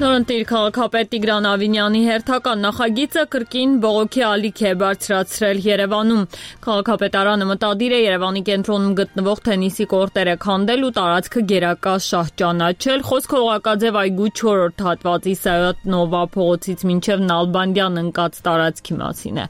Նորընտիր քաղաքապետ Տիգրան Ավինյանի հերթական նախագիծը կրկին բողոքի ալիք է բարձրացրել Երևանում։ Քաղաքապետարանը մտադիր է Երևանի կենտրոնում գտնվող թենիսի կորտերը քանդել ու տարածքը գերակա շահ ճանաչել։ Խոսքը Օղակաձև այգու չորրորդ հատվածի Սայաթ Նովա փողոցից մինչև Նալբանդյան ընկած տարածքի մասին է։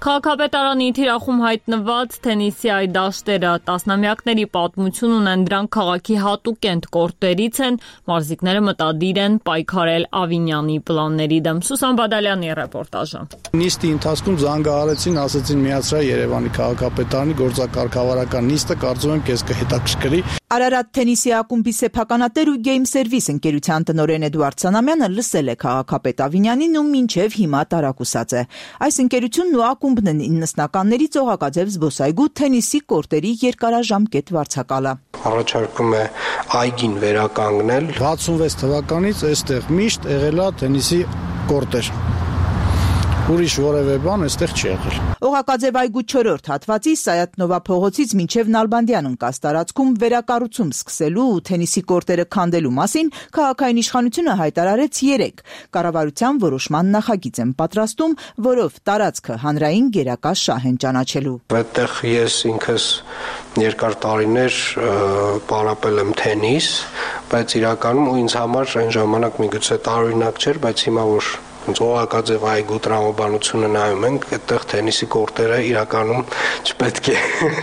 Քաղաքապետարանի թիրախում հայտնված թենիսի այդ դաշտերը տասնամյակների պատմություն ունեն, դրանք քաղաքի հատուկենտ կորտերից են, մարզիկները մտադիր են պայքարել Ավինյանի պլանների դեմ։ Սուսան Բադալյանի ռեպորտաժը։ Նիստի ընթացքում զանգահարեցին, ասացին միացրա Երևանի քաղաքապետարանի գործակարգավարական նիստը, կարծում եմ քեզ կհետաքրքրի։ Արարատ թենիսի ակումբի սեփականատեր ու Game Service ընկերության տնօրեն Էդուարդ Սանամյանը լսել է քաղաքապետ Ավինյանին ու մինչև հիմա տարակուսած է։ Այս ընկերությունն ու ակումբն են իննսնականներից Օղակաձև զբոսայգու թենիսի կորտերի երկարաժամկետ վարձակալը։ Առաջարկում է այգին վերականգնել։ հացունվեց թվականից այստեղ միշտ եղել է թենիսի կորտեր։ Ուրիշ որևէ բան այստեղ չի եղել։ Օղակաձև այգու չորրորդ հատվածի Սայաթ Նովա փողոցից մինչև Նալբանդյան ընկած տարածքում վերակառուցում սկսելու ու թենիսի կորտերը քանդելու մասին քաղաքային իշխանությունը հայտարարեց երեկ։ Կառավարության որոշման նախագիծ են պատրաստում, որով տարածքը հանրային գերակա շահ են ճանաչելու։ Այդտեղ ես ինքս երկար տարիներ պարապել եմ թենիս, բայց իրականում ու ինձ համար այն ժամանակ միգուցե տարօրինակ չէր, բայց հիմա որ Օղակաձև այգու տրամաբանությունը նայում ենք, այդտեղ թենիսի կորտերը իրականում չպետք է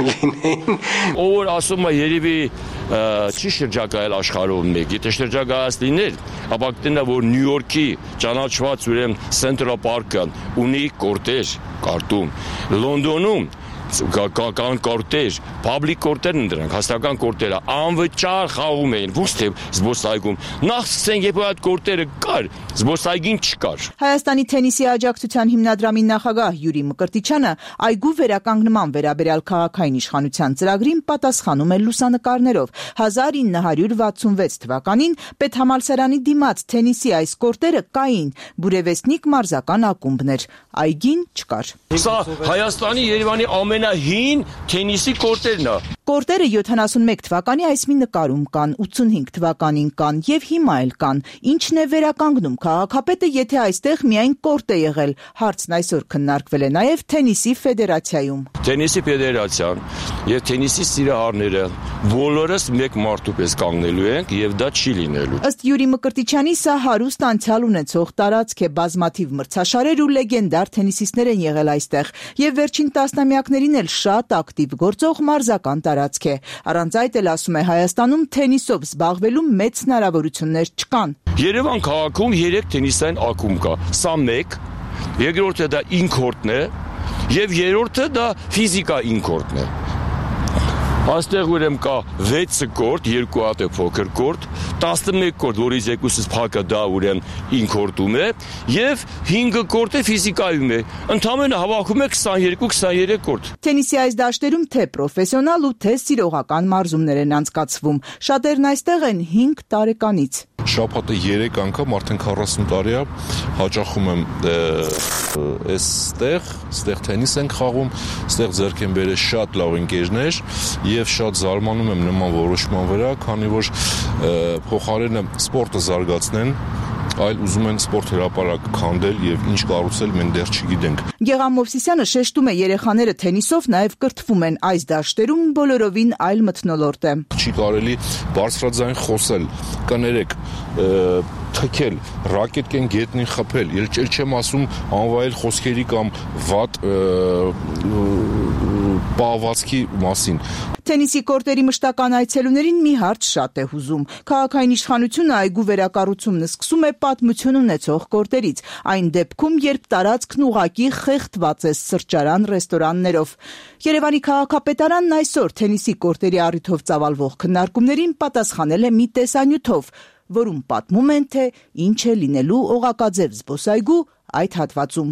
լինեին։ Ով որ ասում է երևի չի շրջակայել աշխարհով մեկ, եթե շրջակայած լիներ, ապա կտենա որ Նյու Յորքի ճանաչված ուրեմն Central Park-ը ունի կորտեր, կարտում, Լոնդոնում կան կորտեր, public կորտերն են դրանք, հաստական կորտերը, անվճար խաղում էին, ոչ թե զբոսայգում։ Նախ սկսենք, երբ այդ կորտերը կար, զբոսայգին չկար։ Հայաստանի թենիսի աջակցության հիմնադրամի նախագահ Յուրի Մկրտիչյանը այգու վերականգնման վերաբերյալ քաղաքային իշխանության ծրագրին պատասխանում է լուսանկարներով։ հազար ինը հարյուր վաթսունվեց թվականին Պետհամալսարանի դիմաց թենիսի այս կորտերը կային, Բուրևեստնիկ մարզական ակումբներ, այգին չկար։ Սա Հայաստանի Երևանի ամենահին թենիսի կորտերն է։ Կորտերը յոթանասունմեկ թվականի այս մի նկարում կան, ութսունհինգ թվականին կան եւ հիմա էլ կան։ Ինչն է վերականգնում քաղաքապետը, եթե այստեղ միայն կորտ է եղել։ Հարցն այսօր քննարկվել է նաեւ թենիսի ֆեդերացիայում։ Թենիսի ֆեդերացիան եւ թենիսի սիրահարները բոլորս մեկ մարդու պես կանգնելու ենք եւ դա չի լինելու։ Ըստ Յուրի Մկրտիչյանի սա հարուստ անցյալ ունեցող տարածք է, բազմաթիվ մրցաշարեր ու լեգենդար թենիսիստներ են եղել այստեղ եւ վերջին տասնամյակներին էլ շատ ակտիվ գործող մարզական տարածք է։ Առանց այդ էլ ասում է Հայաստանում թենիսով զբաղվելու մեծ հնարավորություններ չկան։ Երևան քաղաքում երեք թենիսային ակումբ կա։ Սա մեկ, երկրորդը դա ինքորտն է եւ երրորդը դա ֆիզիկա ինքորտն է։ Այստեղ ուրեմն կա վեց կորտ, երկու հատ է փոքր կորտ, տասնմեկ կորտ, որից երկուսից փակը դա ուրեմն ինքորտում է, եւ հինգ կորտ է ֆիզիկայում է։ Ընդամենը հավաքում է քսաներկու քսաներեք կորտ։ Թենիսի այս դաշտերում թե պրոֆեսիոնալ ու թե սիրողական մարզումներ են անցկացվում։ Շատերն այստեղ են հինգ տարեկանից։ Շաբաթը երեք անգամ արդեն քառասուն տարի է հաճախում եմ այստեղ, այստեղ թենիս ենք խաղում, այստեղ ձեռք են բերել շատ լավ ընկերներ եւ շատ զարմանում եմ նման որոշման վրա, քանի որ փոխարենը սպորտը զարգացնեն, այլ ուզում են սպորտ հրապարակ քանդել եւ ինչ կառուցել մենք դեռ չգիտենք։ Գեղամ Մովսիսյանը շեշտում է երեխաները թենիսով նաեւ կրթվում են այս դաշտերում բոլորովին այլ մթնոլորտ է։ Չի կարելի բարձրաձայն խոսել, կներեք, թքել, ռակետկեն գետնին խփել, ել չեմ ասում անվայել խոսքերի կամ վատ պահվածքի մասին։ Թենիսի կորտերի մշտական այցելուներին մի հարց շատ է հուզում։ Քաղաքային իշխանությունը այգու վերակառուցումն սկսում է պատմություն ունեցող կորտերից, այն դեպքում, երբ տարածքն ուղակի խեղդված է սրճարան, ռեստորաններով։ Երևանի քաղաքապետարանն այսօր թենիսի կորտերի առիթով ծավալվող քննարկումներին պատասխանել է մի տեսանյութով, որում պատմում են, թե ինչ է լինելու Օղակաձև զբոսայգու այդ հատվածում։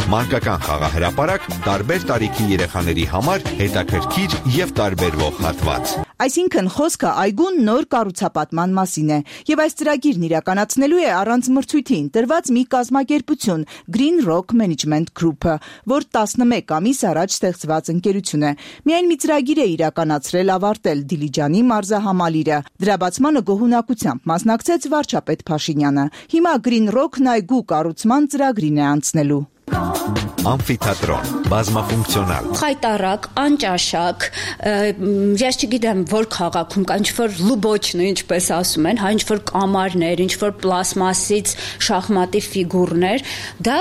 Մանկական խաղահրապարակ տարբեր տարիքի երեխաների համար հետաքրքիր եւ տարբերվող հատված։ Այսինքն խոսքը այգուն նոր կառուցապատման մասին է եւ այս ծրագիրն իրականացնելու է առանց մրցույթի ընտրված մի կազմակերպություն Green Rock Management Group-ը, որ տասնմեկ ամիս առաջ ստեղծված ընկերություն է։ Միայն մի ծրագիր է իրականացրել ավարտել Դիլիջանի մարզահամալիրը։ Դրա բացմանը գոհունակությամբ մասնակցեց վարչապետ Փաշինյանը։ Հիմա Green Rock-ն այգու կառուցման ծրագրին է անցնելու։ Ամֆիթատրոն, բազմաֆունկցիոնալ։ Խայտարակ, անճաշակ, ես չգիտեմ որ քաղաքում կա ինչ-որ լուբոչնը, ինչպես ասում են, հա ինչ-որ կամարներ, ինչ-որ պլաստմասից շախմատի ֆիգուրներ, դա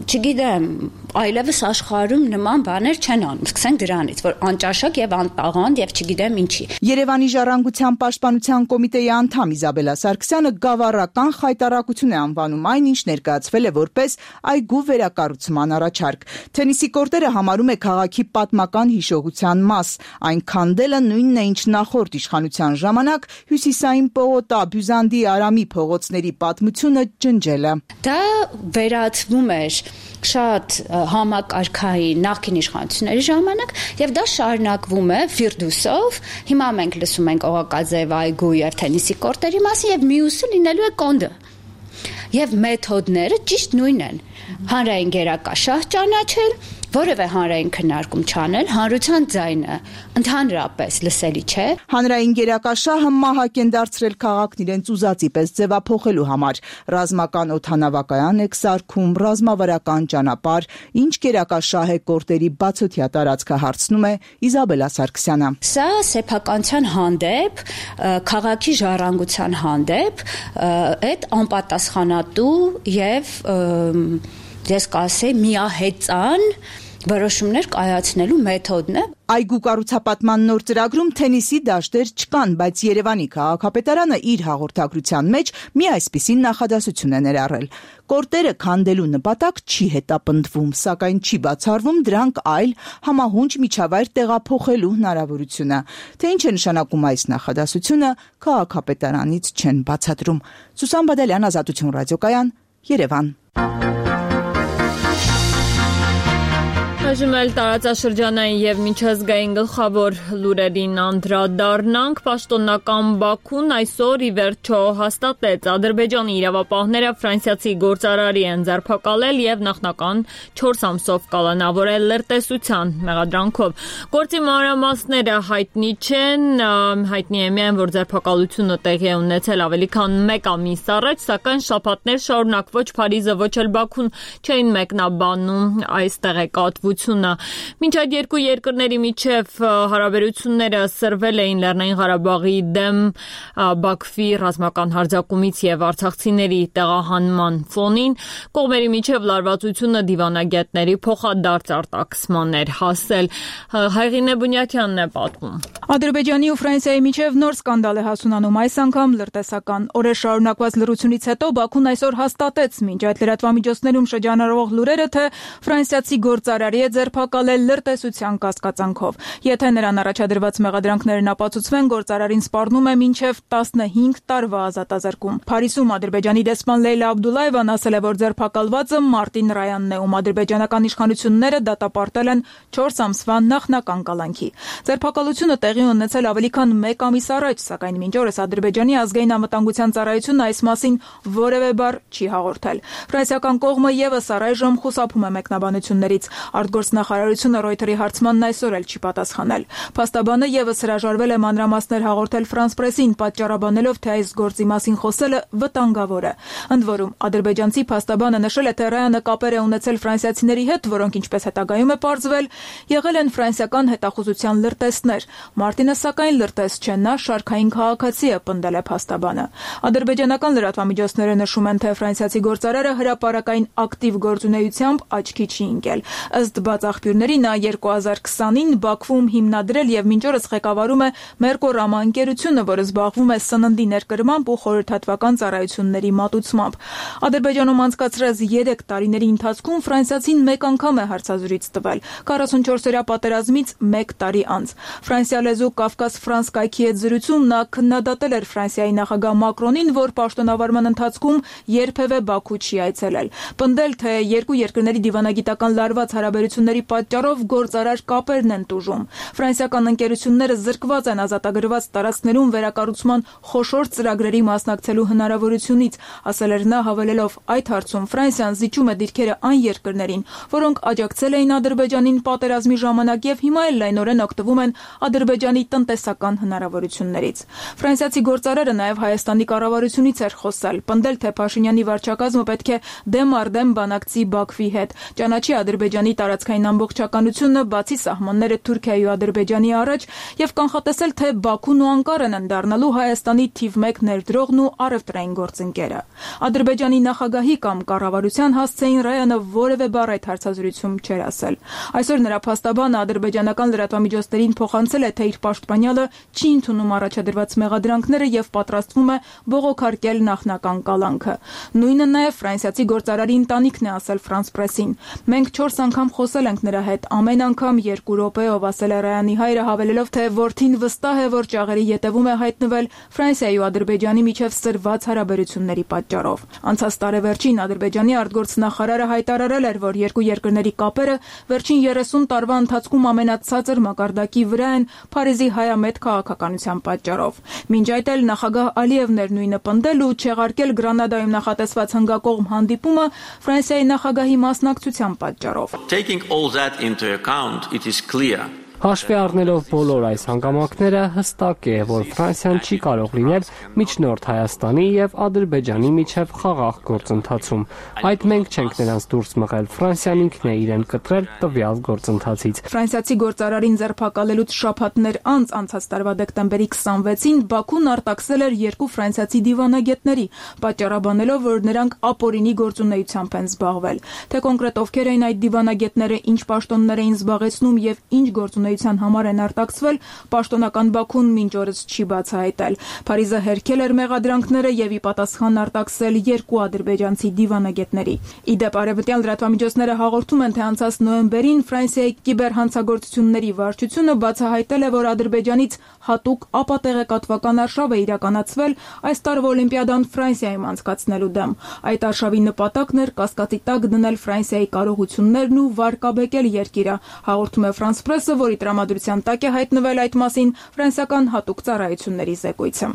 չգիտեմ, այլևս աշխարհում նման բաներ չեն անում։ Սկսենք դրանից, որ անճաշակ եւ անտաղանդ եւ չգիտեմ ինչի։ Երևանի ժառանգության պաշտպանության կոմիտեի անդամ Իզաբելա Սարգսյանը գավառական խայտարակություն է անվանում այն, ինչ ներկայացվել է որպես այգու վերակառուցման առաջարկ։ Թենիսի կորտերը համարում է քաղաքի պատմական հիշողության մաս։ Այն քանդելը նույնն է, ինչ նախորդ իշխանության ժամանակ Հյուսիսային պողոտա, Բյուզանդի, Արամի փողոցների պատմությունը ջնջելը։ Դա վերածվում էր շատ համակարգային նախկին իշխանությունների ժամանակ եւ դա շարունակվում է Ֆիրդուսով։ Հիմա մենք լսում ենք Օղակաձև այգու եւ թենիսի կորտերի մասին եւ մյուսը լինելու է կոնդը։ Եվ մեթոդները ճիշտ նույնն են։ Հանրային գերակաշահ ճանաչել որևէ հանրային քննարկում չանել, հանրության ձայնը ընդհանրապես լսելի չէ։ Հանրային գերակաշահը մահակ են դարձրել քաղաքն իրենց ուզածի պես ձևափոխելու համար։ Ռազմական օդանավակայան է սարքում, ռազմավարական ճանապարհ, ինչ գերակաշահ է կորտերի բացօթյա տարածքը, հարցնում է Իզաբելա Սարգսյանը։ Սա սեփականության հանդեպ, քաղաքի ժառանգության հանդեպ այդ անպատասխանատու եւ ես կասեի միահեծան որոշումներ կայացնելու մեթոդն է։ Այգու կառուցապատման նոր ծրագրում թենիսի դաշտեր չկան, բայց Երևանի քաղաքապետարանը իր հաղորդագրության մեջ մի այսպիսի նախադասություն է ներառել. Կորտերը քանդելու նպատակ չի հետապնդվում, սակայն չի բացառվում դրանք այլ համահունչ միջավայր տեղափոխելու հնարավորությունը։ Թե ինչ է նշանակում այս նախադասությունը, քաղաքապետարանից չեն բացատրում։ Սուսան Բադալյան, Ազատություն ռադիոկայան, Երևան։ Այժմ էլ տարածաշրջանային եւ միջազգային գլխավոր լուրերին անդրադառնանք։ Պաշտոնական Բաքուն այսօր ի վերջո հաստատեց Ադրբեջանի իրավապահները ֆրանսիացի գործարարի են ձերբակալել եւ նախնական չորս ամսով կալանավորել լրտեսության մեղադրանքով։ Գործի մանրամասները հայտնի չեն, հայտնի է միայն, որ ձերբակալությունը տեղի է ունեցել ավելի քան մեկ ամիս առաջ, սակայն շաբաթներ շարունակ ոչ Փարիզը, ոչ էլ Բաքուն չէին մեկնաբանում այս տեղեկատվությունը։ Մինչ այդ երկու երկրների միջև հարաբերությունները սրվել էին Լեռնային Ղարաբաղի դեմ Բաքվի ռազմական հարձակումից եւ արցախցիների տեղահանման ֆոնին, կողմերի միջև լարվածությունը դիվանագետների փոխադարձ արտաքսման էր հասել։ Հայրինե Բունյաթյանն է պատմում։ Ադրբեջանի ու Ֆրանսիայի միջև նոր սկանդալ է հասունանում, այս անգամ լրտեսական։ Օրեր շարունակված լռությունից հետո Բաքուն այսօր հաստատեց, մինչ այդ լրատվամիջոցներում շրջանառվող լուրերը, թե ֆրանսիացի գործարարի է ձերբակալել լրտեսության կասկածանքով։ Եթե նրան առաջադրված մեղադրանքներն ապացուցվեն, գործարարին սպառնում է մինչև տասնհինգ տարվա ազատազրկում։ Փարիզում Ադրբեջանի դեսպան Լեյլա Աբդուլլայևան ասել է, որ ձերբակալվածը Մարտին Ռայանն է, ում ադրբեջանական իշխանությունները դատապարտել են չորս ամսվա նախնական կալանքի։ Ձերբակալությունը տեղի ունեցել ավելի քան մեկ ամիս առաջ, սակայն մինչ օրս Ադրբեջանի ազգային անվտանգության ծառայությունը այս մասին որևէ բառ չի հաղորդել։ Ֆրանսիական կողմը եւս առայժմ խուսափում է մեկնաբանություններից։ Արտգործնախարարությունը Reuters-ի հարցմանն այսօր էլ չի պատասխանել։ Փաստաբանը եւս հրաժարվել է մանրամասներ հաղորդել France Press-ին, պատճառաբանելով, թե այս գործի մասին խոսելը վտանգավոր է։ Ընդ որում, ադրբեջանցի փաստաբանը նշել է, թե Ռայանը կապեր է ունեցել ֆրանսիացիների հետ, որոնք ինչպես հետագայում է պարզվել, եղել են ֆրանսիական հետախուզության լրտեսներ։ Մարտինը սակայն լրտես չէ, նա շարքային քաղաքացի է, պնդել է փաստաբանը։ Ադրբեջանական լրատվամիջոցները նշում են, թե ֆրանսիացի գործարարը հրապարակային ակտիվ գործունեությամբ աչքի չի ընկել։ Ըստ բաց աղբյուրների, նա երկու հազար քսանին Բաքվում հիմնադրել եւ մինչ օրս ղեկավարում է Մերկորամա ընկերությունը, որը զբաղվում է սննդի ներկրմամբ ու խորհրդատվական ծառայությունների մատուցմամբ։ Ադրբեջանում անցկացրած երեք տարիների ընթացքում ֆրանսիացին մեկ անգամ է հարցազրույց տվել, քառասունչորսօրյա պատերազմից մեկ տարի անց։ Ֆրանսիա լեզու Կավկաս-Ֆրանս կայքի հետ զրույցում նա քննադատել էր Ֆրանսիայի նախագահ Մակրոնին, որ պաշտոնավարման ընթացքում երբևէ Բաքու չի այցելել։ Պնդել, թե երկու երկրների դիվանագիտական լարված հարաբերությունների պատճառով գործարար կապերն են տուժում։ Ֆրանսիական ընկերությունները զրկված են ազատագրված տարածքներում վերակառուցման խոշոր ծրագրերի մասնակցելու հնարավորությունից, ասել էր նա, հավելելով, այդ հարցում Ֆրանսիան զիջում է դիրքերը այն երկրներին, որոնք աջակցել էին Ադրբեջանին պատերազմի ժամանակ եւ հիմա էլ լայնորեն օգտվում են Ադրբեջանի տնտեսական հնարավորություններից։ Ֆրանսիացի գործարարը նաև Հայաստանի կառավարությունից էր խոսել, պնդել, թե Փաշինյանի վարչակազմը պետք է դեմ առ դեմ բանակցի Բաքվի հետ, ճանաչի Ադրբեջանի տարածքային ամբողջականությունը, բացի սահմանները Թուրքիայի ու Ադրբեջանի առաջ եւ կանխատեսել, թե Բաքուն ու Անկարան են դառնալու Հայաստանի թիվ մեկ ներդրողն ու առևտրային գործընկերը։ Ադրբեջանի նախագահի կամ կառավարության հասցեին Ռայանը որևէ բառ այդ հարցազրույցում չէր ասել։ Այսօր նրա փաստաբանը ադրբեջանական լրատվամիջոցներին փոխանցել է, թե իր պաշտպանյալը չի ընդունում առաջադրված մեղադրանքները եւ պատրաստվում է բողոքարկել նախնական կալանքը։ Նույնը նաեւ ֆրանսիացի գործարարի ընտանիքն է ասել France Press-ին։ Մենք չորս անգամ խոսել ենք նրա հետ, ամեն անգամ երկու րոպեով, ասել է Ռայանի հայրը, հավելելով, թե որդին վստահ է, որ ճաղերի ետևում է հայտնվել Ֆրանսիայի ու Ադրբեջանի միջև սրված հարաբերությունների պատճառով։ Անցած տարեվերջին Ադրբեջանի արտգործնախարարը հայտարարել էր, որ երկու երկրների կապերը վերջին երեսուն տարվա ընթացքում ամենացածր մակարդակի վրա են Փարիզի հայամետ քաղաքականության պատճառով։ Մինչ այդ էլ նախագահ Ալիևն էր նույնը պնդել ու չեղարկել Գրանադայում նախատեսված հնգակողմ հանդիպումը Ֆրանսիայի նախագահի մասնակցության պատճառով։ Taking all that into account, it is clear. Հաշվի առնելով բոլոր այս հանգամանքները, հստակ է, որ Ֆրանսիան չի կարող լինել միջնորդ Հայաստանի եւ Ադրբեջանի միջև խաղաղ գործընթացում։ Այդ մենք չենք նրանց դուրս մղել, Ֆրանսիան ինքն է իրեն կտրել տվյալ գործընթացից։ Ֆրանսիացի գործարարին ձերբակալելուց շաբաթներ անց անցած տարվա դեկտեմբերի քսանվեցին Բաքուն արտաքսել էր երկու ֆրանսիացի դիվանագետների, պատճառաբանելով, որ նրանք ապօրինի գործունեությամբ են զբաղվել։ Թե կոնկրետ ովքեր էին այդ դիվանագետները, ինչ պաշտոններ էին զբաղեցնում եւ ինչ գործունեության համար են արտաքսվել, պաշտոնական Բաքուն մինչ օրս չի բացահայտել։ Փարիզը հերքել էր մեղադրանքները եւ ի պատասխան արտաքսել երկու ադրբեջանցի դիվանագետների։ Իդեպ արևմտյան լրատվամիջոցները հաղորդում են, թե անցած նոյեմբերին Ֆրանսիայի կիբերհանցագործությունների վարչությունը բացահայտել է, որ Ադրբեջանից հատուկ ապատեղեկատվական արշավ է իրականացվել այս տարվա Օլիմպիադան Ֆրանսիայում անցկացնելու դեմ։ Այդ արշավի նպատակն էր կասկածի տակ դնել Ֆրանսիայի կարողություններն ու վարկաբեկել երկիրը, հաղորդում է Ֆրանս Պրեսը, որի տրամադրության տակ է հայտնվել այդ մասին ֆրանսիական հատուկ ծառայությունների զեկույցը։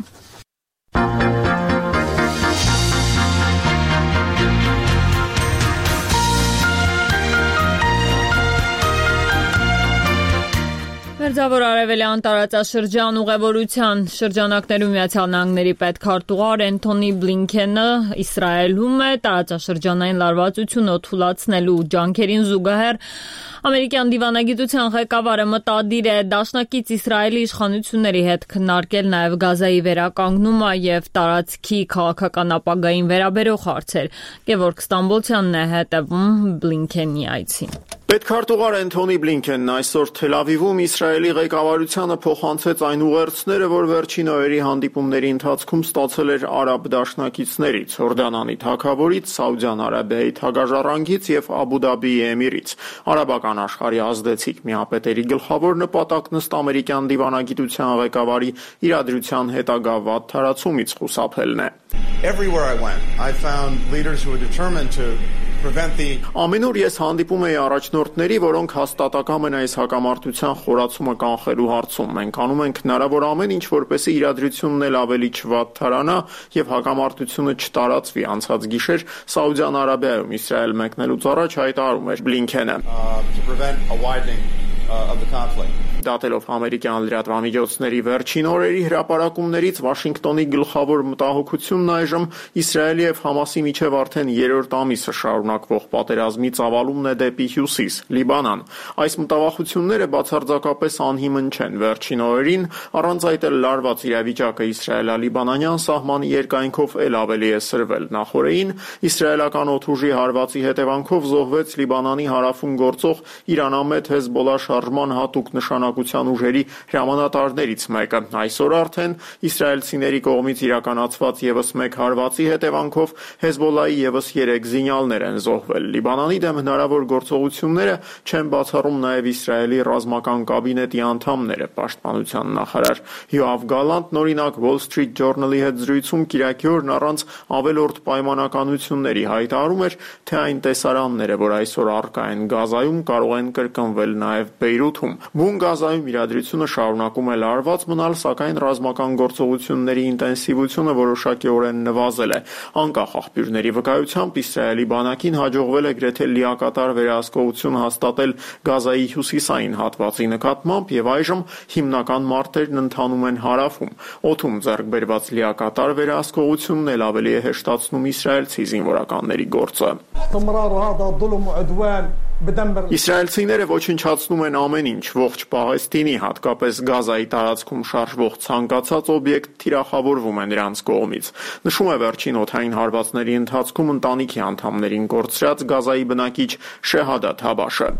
Մերձավոր արևելյան տարածաշրջան ուղևորության շրջանակներում Միացյալ Նահանգների պետքարտուղար Էնթոնի Բլինքենը Իսրայելում է տարածաշրջանային լարվածությունը թույլատնելու ջանքերին զուգահեռ ամերիկյան դիվանագիտության ղեկավարը մտադիր է դաշնակից Իսրայելի իշխանությունների հետ քննարկել նաև Գազայի վերականգնումը եւ տարածքի քաղաքական ապագային վերաբերող հարցեր։ Գևորգ Ստամբոլցյանն է հետևում Բլինքենի այցին։ Պետքարտուղար Էնթոնի Բլինքենն այսօր Թել Ավիվում Իսրայելի ղեկավարությանը փոխանցեց այն ուղերձները, որ վերջին օրերի հանդիպումների ընթացքում ստացել էր արաբ դաշնակիցներից՝ Հորդանանի թագավորից, Սաուդյան Արաբիայի թագաժառանգից եւ Աբու Դաբիի էմիրից։ Արաբական աշխարհի ազդեցիկ միապետերի գլխավոր նպատակն ըստ ամերիկյան դիվանագիտության ղեկավարի իրադրության հետագա վատ թարացումից խուսափելն է։ Everywhere I went, I found leaders who were determined to Ամենուր ես հանդիպում էի առաջնորդների, որոնք հաստատակամ են այս հակամարտության խորացումը կանխելու հարցում։ Մենք անում ենք հնարավոր ամեն ինչ, որպեսզի իրադրությունն էլ ավելի չվատ թարանա եւ հակամարտությունը չտարածվի։ Անցած գիշեր Սաուդյան Արաբիայում Իսրայել մեկնելուց առաջ հայտարարում էր Բլինքենը. Դատելով ամերիկյան լրատվամիջոցների վերջին օրերի հրապարակումներից Վաշինգտոնի գլխավոր մտահոգությունն այժմ Իսրայելի եւ Համասի միջև արդեն երրորդ ամիսը շարունակվող պատերազմի ծավալումն է դեպի հյուսիս, Լիբանան։ Այս մտավախությունները բացարձակապես անհիմն չեն։ Վերջին օրերին առանց այդ էլ լարված իրավիճակը իսրայելա-լիբանանյան սահմանի երկայնքով էլ ավելի է սրվել։ Նախորդին իսրայելական օդուժի հարվածի հետևանքով զոհվեց Լիբանանի հարավում գործող Իրանամետ Հեզբոլա շարժման հատուկ նշանակության ուժերի հրամանատարներից մեկը։ Այսօր արդեն իսրայելցիների կողմից իրականացված եւս մեկ հարվածի հետևանքով Հեզբոլայի եւս երեք զինյալներ են զոհվել։ Լիբանանի դեմ հնարավոր գործողությունները չեն բացառում նաեւ Իսրայելի ռազմական կաբինետի անդամները։ Պաշտպանության նախարար Յոավ Գալանտն օրինակ Wall Street Journal-ի հետ զրույցում Կիրակի օրն առանց ավելորդ պայմանականությունների հայտարարում էր, թե այն տեսարանները, որ այսօր առկա են Գազայում, կարող են կրկնվել նաեւ Բեյրութում։ Բուն Գազայում իրադրությունը շարունակում է լարված մնալ, սակայն ռազմական գործողությունների ինտենսիվությունը որոշակիորեն նվազել է։ Անկախ աղբյուրների վկայությամբ Իսրայելի բանակին հաջողվել է գրեթե լիակատար վերահսկողություն հաստատել Գազայի հյուսիսային հատվածի նկատմամբ եւ այժմ հիմնական մարտերն ընթանում են հարավում։ Օդում ձեռք բերված լիակատար վերահսկողությունն էլ ավելի է հեշտացնում իսրայելցի զինվորականների գործը։ Իսրայելցիները ոչնչացնում են ամեն ինչ, ողջ Պաղեստինի, հատկապես Գազայի տարածքում շարժվող ցանկացած օբյեկտ թիրախավորվում է նրանց կողմից։ Նշում է վերջին օդային հարվածների ընթացքում ընտանիքի անդամներին կորցրած Գազայի բնակիչ Շեհադաթ Հաբաշը։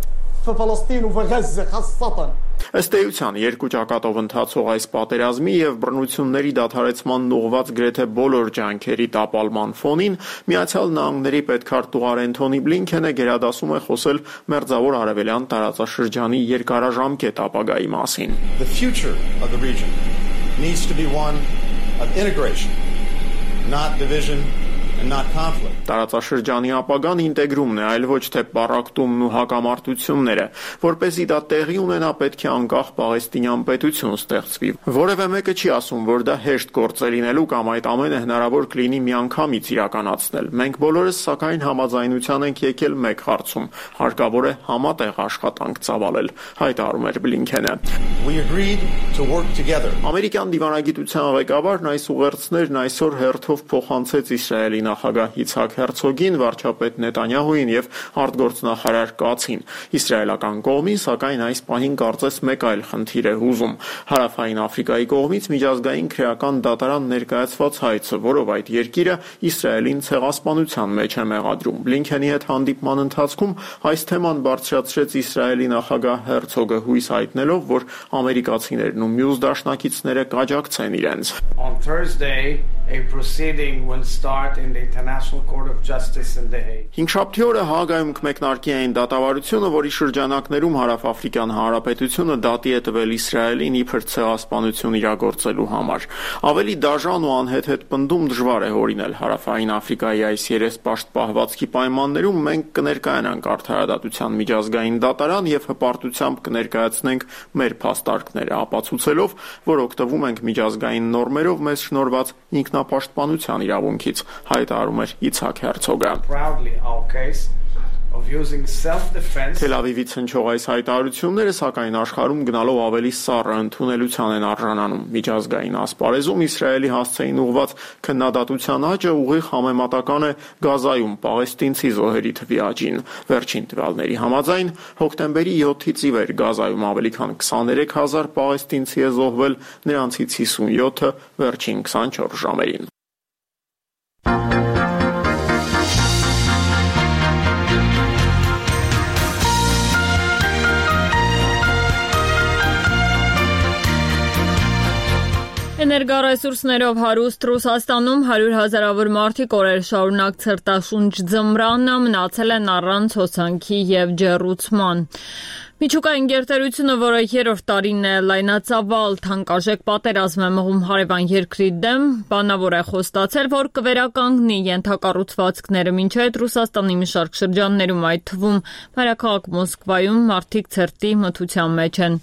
Ըստ էության երկու ճակատով ընթացող այս պատերազմի եւ բռնությունների դադարեցման ուղղված գրեթե բոլոր ջանքերի տապալման ֆոնին Միացյալ Նահանգների պետքարտուղար Էնթոնի Բլինքենը գերադասում է խոսել Մերձավոր Արևելյան տարածաշրջանի երկարաժամկետ ապագայի մասին։ The future of the region needs to be one of integration, not division and not conflict. Տարածաշրջանի ապագան ինտեգրումն է, այլ ոչ թե պառակտումն ու հակամարտությունները, որպեսզի դա տեղի ունենա, պետք է անկախ Պաղեստինյան պետություն ստեղծվի։ Որևէ մեկը չի ասում, որ դա հեշտ գործ է լինելու կամ այդ ամենը հնարավոր կլինի միանգամից իրականացնել։ Մենք բոլորս սակայն համաձայնության ենք եկել մեկ հարցում. հարկավոր է համատեղ աշխատանք ծավալել, հայտարարում էր Բլինքենը։ We agreed to work together. Ամերիկյան դիվանագիտության ղեկավարն այս ուղերձներն այսօր հերթով փոխանցեց Իսրայելի նախագահ Իցհակ Հերցոգին, վարչապետ Նետանյահուին եւ արտգործնախարար Կացին։ Իսրայելական կողմին, սակայն այս պահին կարծես մեկ այլ խնդիր է հուզում։ Հարավային Աֆրիկայի կողմից միջազգային քրեական դատարան ներկայացված հայցը, որով այդ երկիրը Իսրայելին ցեղասպանության մեջ է մեղադրում։ Բլինքենի հետ հանդիպման ընթացքում այս թեման բարձրացրեց Իսրայելի նախագահ Հերցոգը, հույս հայտնելով, որ ամերիկացիներն ու մյուս դաշնակիցները կաջակցեն իրենց։ On Thursday, a proceeding will start in the International Court of Justice in The Hague. Հինգշաբթի օրը Հաագայում կմեկնարկի այն դատավարությունը, որի շրջանակներում Հարավաֆրիկյան Հանրապետությունը դատի է տվել Իսրայելին իբր ցեղասպանություն իրագործելու համար։ Ավելի դաժան ու անհեթեթ պնդում դժվար է հորինել Հարավային Աֆրիկայի այս երեսպաշտ պահվածքի պայմաններում մենք կներկայանանք արդարադատության միջազգային դատարան եւ հպարտությամբ կներկայացնենք մեր փաստարկները, ապացուցելով, որ օգտվում ենք միջազգային նորմերով մեզ շնորհված ինքնապաշտպանության իրավունքից, հայտարարում էր Իցհակ Հերցոգը։ Թել Ավիվից հնչող այս հայտարարությունները, սակայն աշխարհում գնալով ավելի սառը ընդունելության են արժանանում։ Միջազգային ասպարեզում Իսրայելի հասցեին ուղղված քննադատության աճը ուղիղ համեմատական է Գազայում պաղեստինցի զոհերի թվի աճին։ Վերջին տվյալների համաձայն հոկտեմբերի յոթից ի վեր Գազայում ավելի քան քսաներեք հազար պաղեստինցի է զոհվել, նրանցից հիսունյոթը վերջին քսանչորս ժամերին։ Էներգառեսուրսներով հարուստ Ռուսաստանում հարյուր հազարավոր մարդիկ օրեր շարունակ ցրտաշունչ ձմռանը մնացել են առանց հոսանքի եւ ջեռուցման։ Միջուկային գերտերությունը, որը երրորդ տարին է լայնածավալ թանկարժեք պատերազմ է մղում հարևան երկրի դեմ, բանավոր է խոստացել, որ կվերականգնի ենթակառուցվածքները, մինչ այդ Ռուսաստանի մի շարք շրջաններում, այդ թվում մայրաքաղաք Մոսկվայում, մարդիկ ցրտի մթության մեջ են։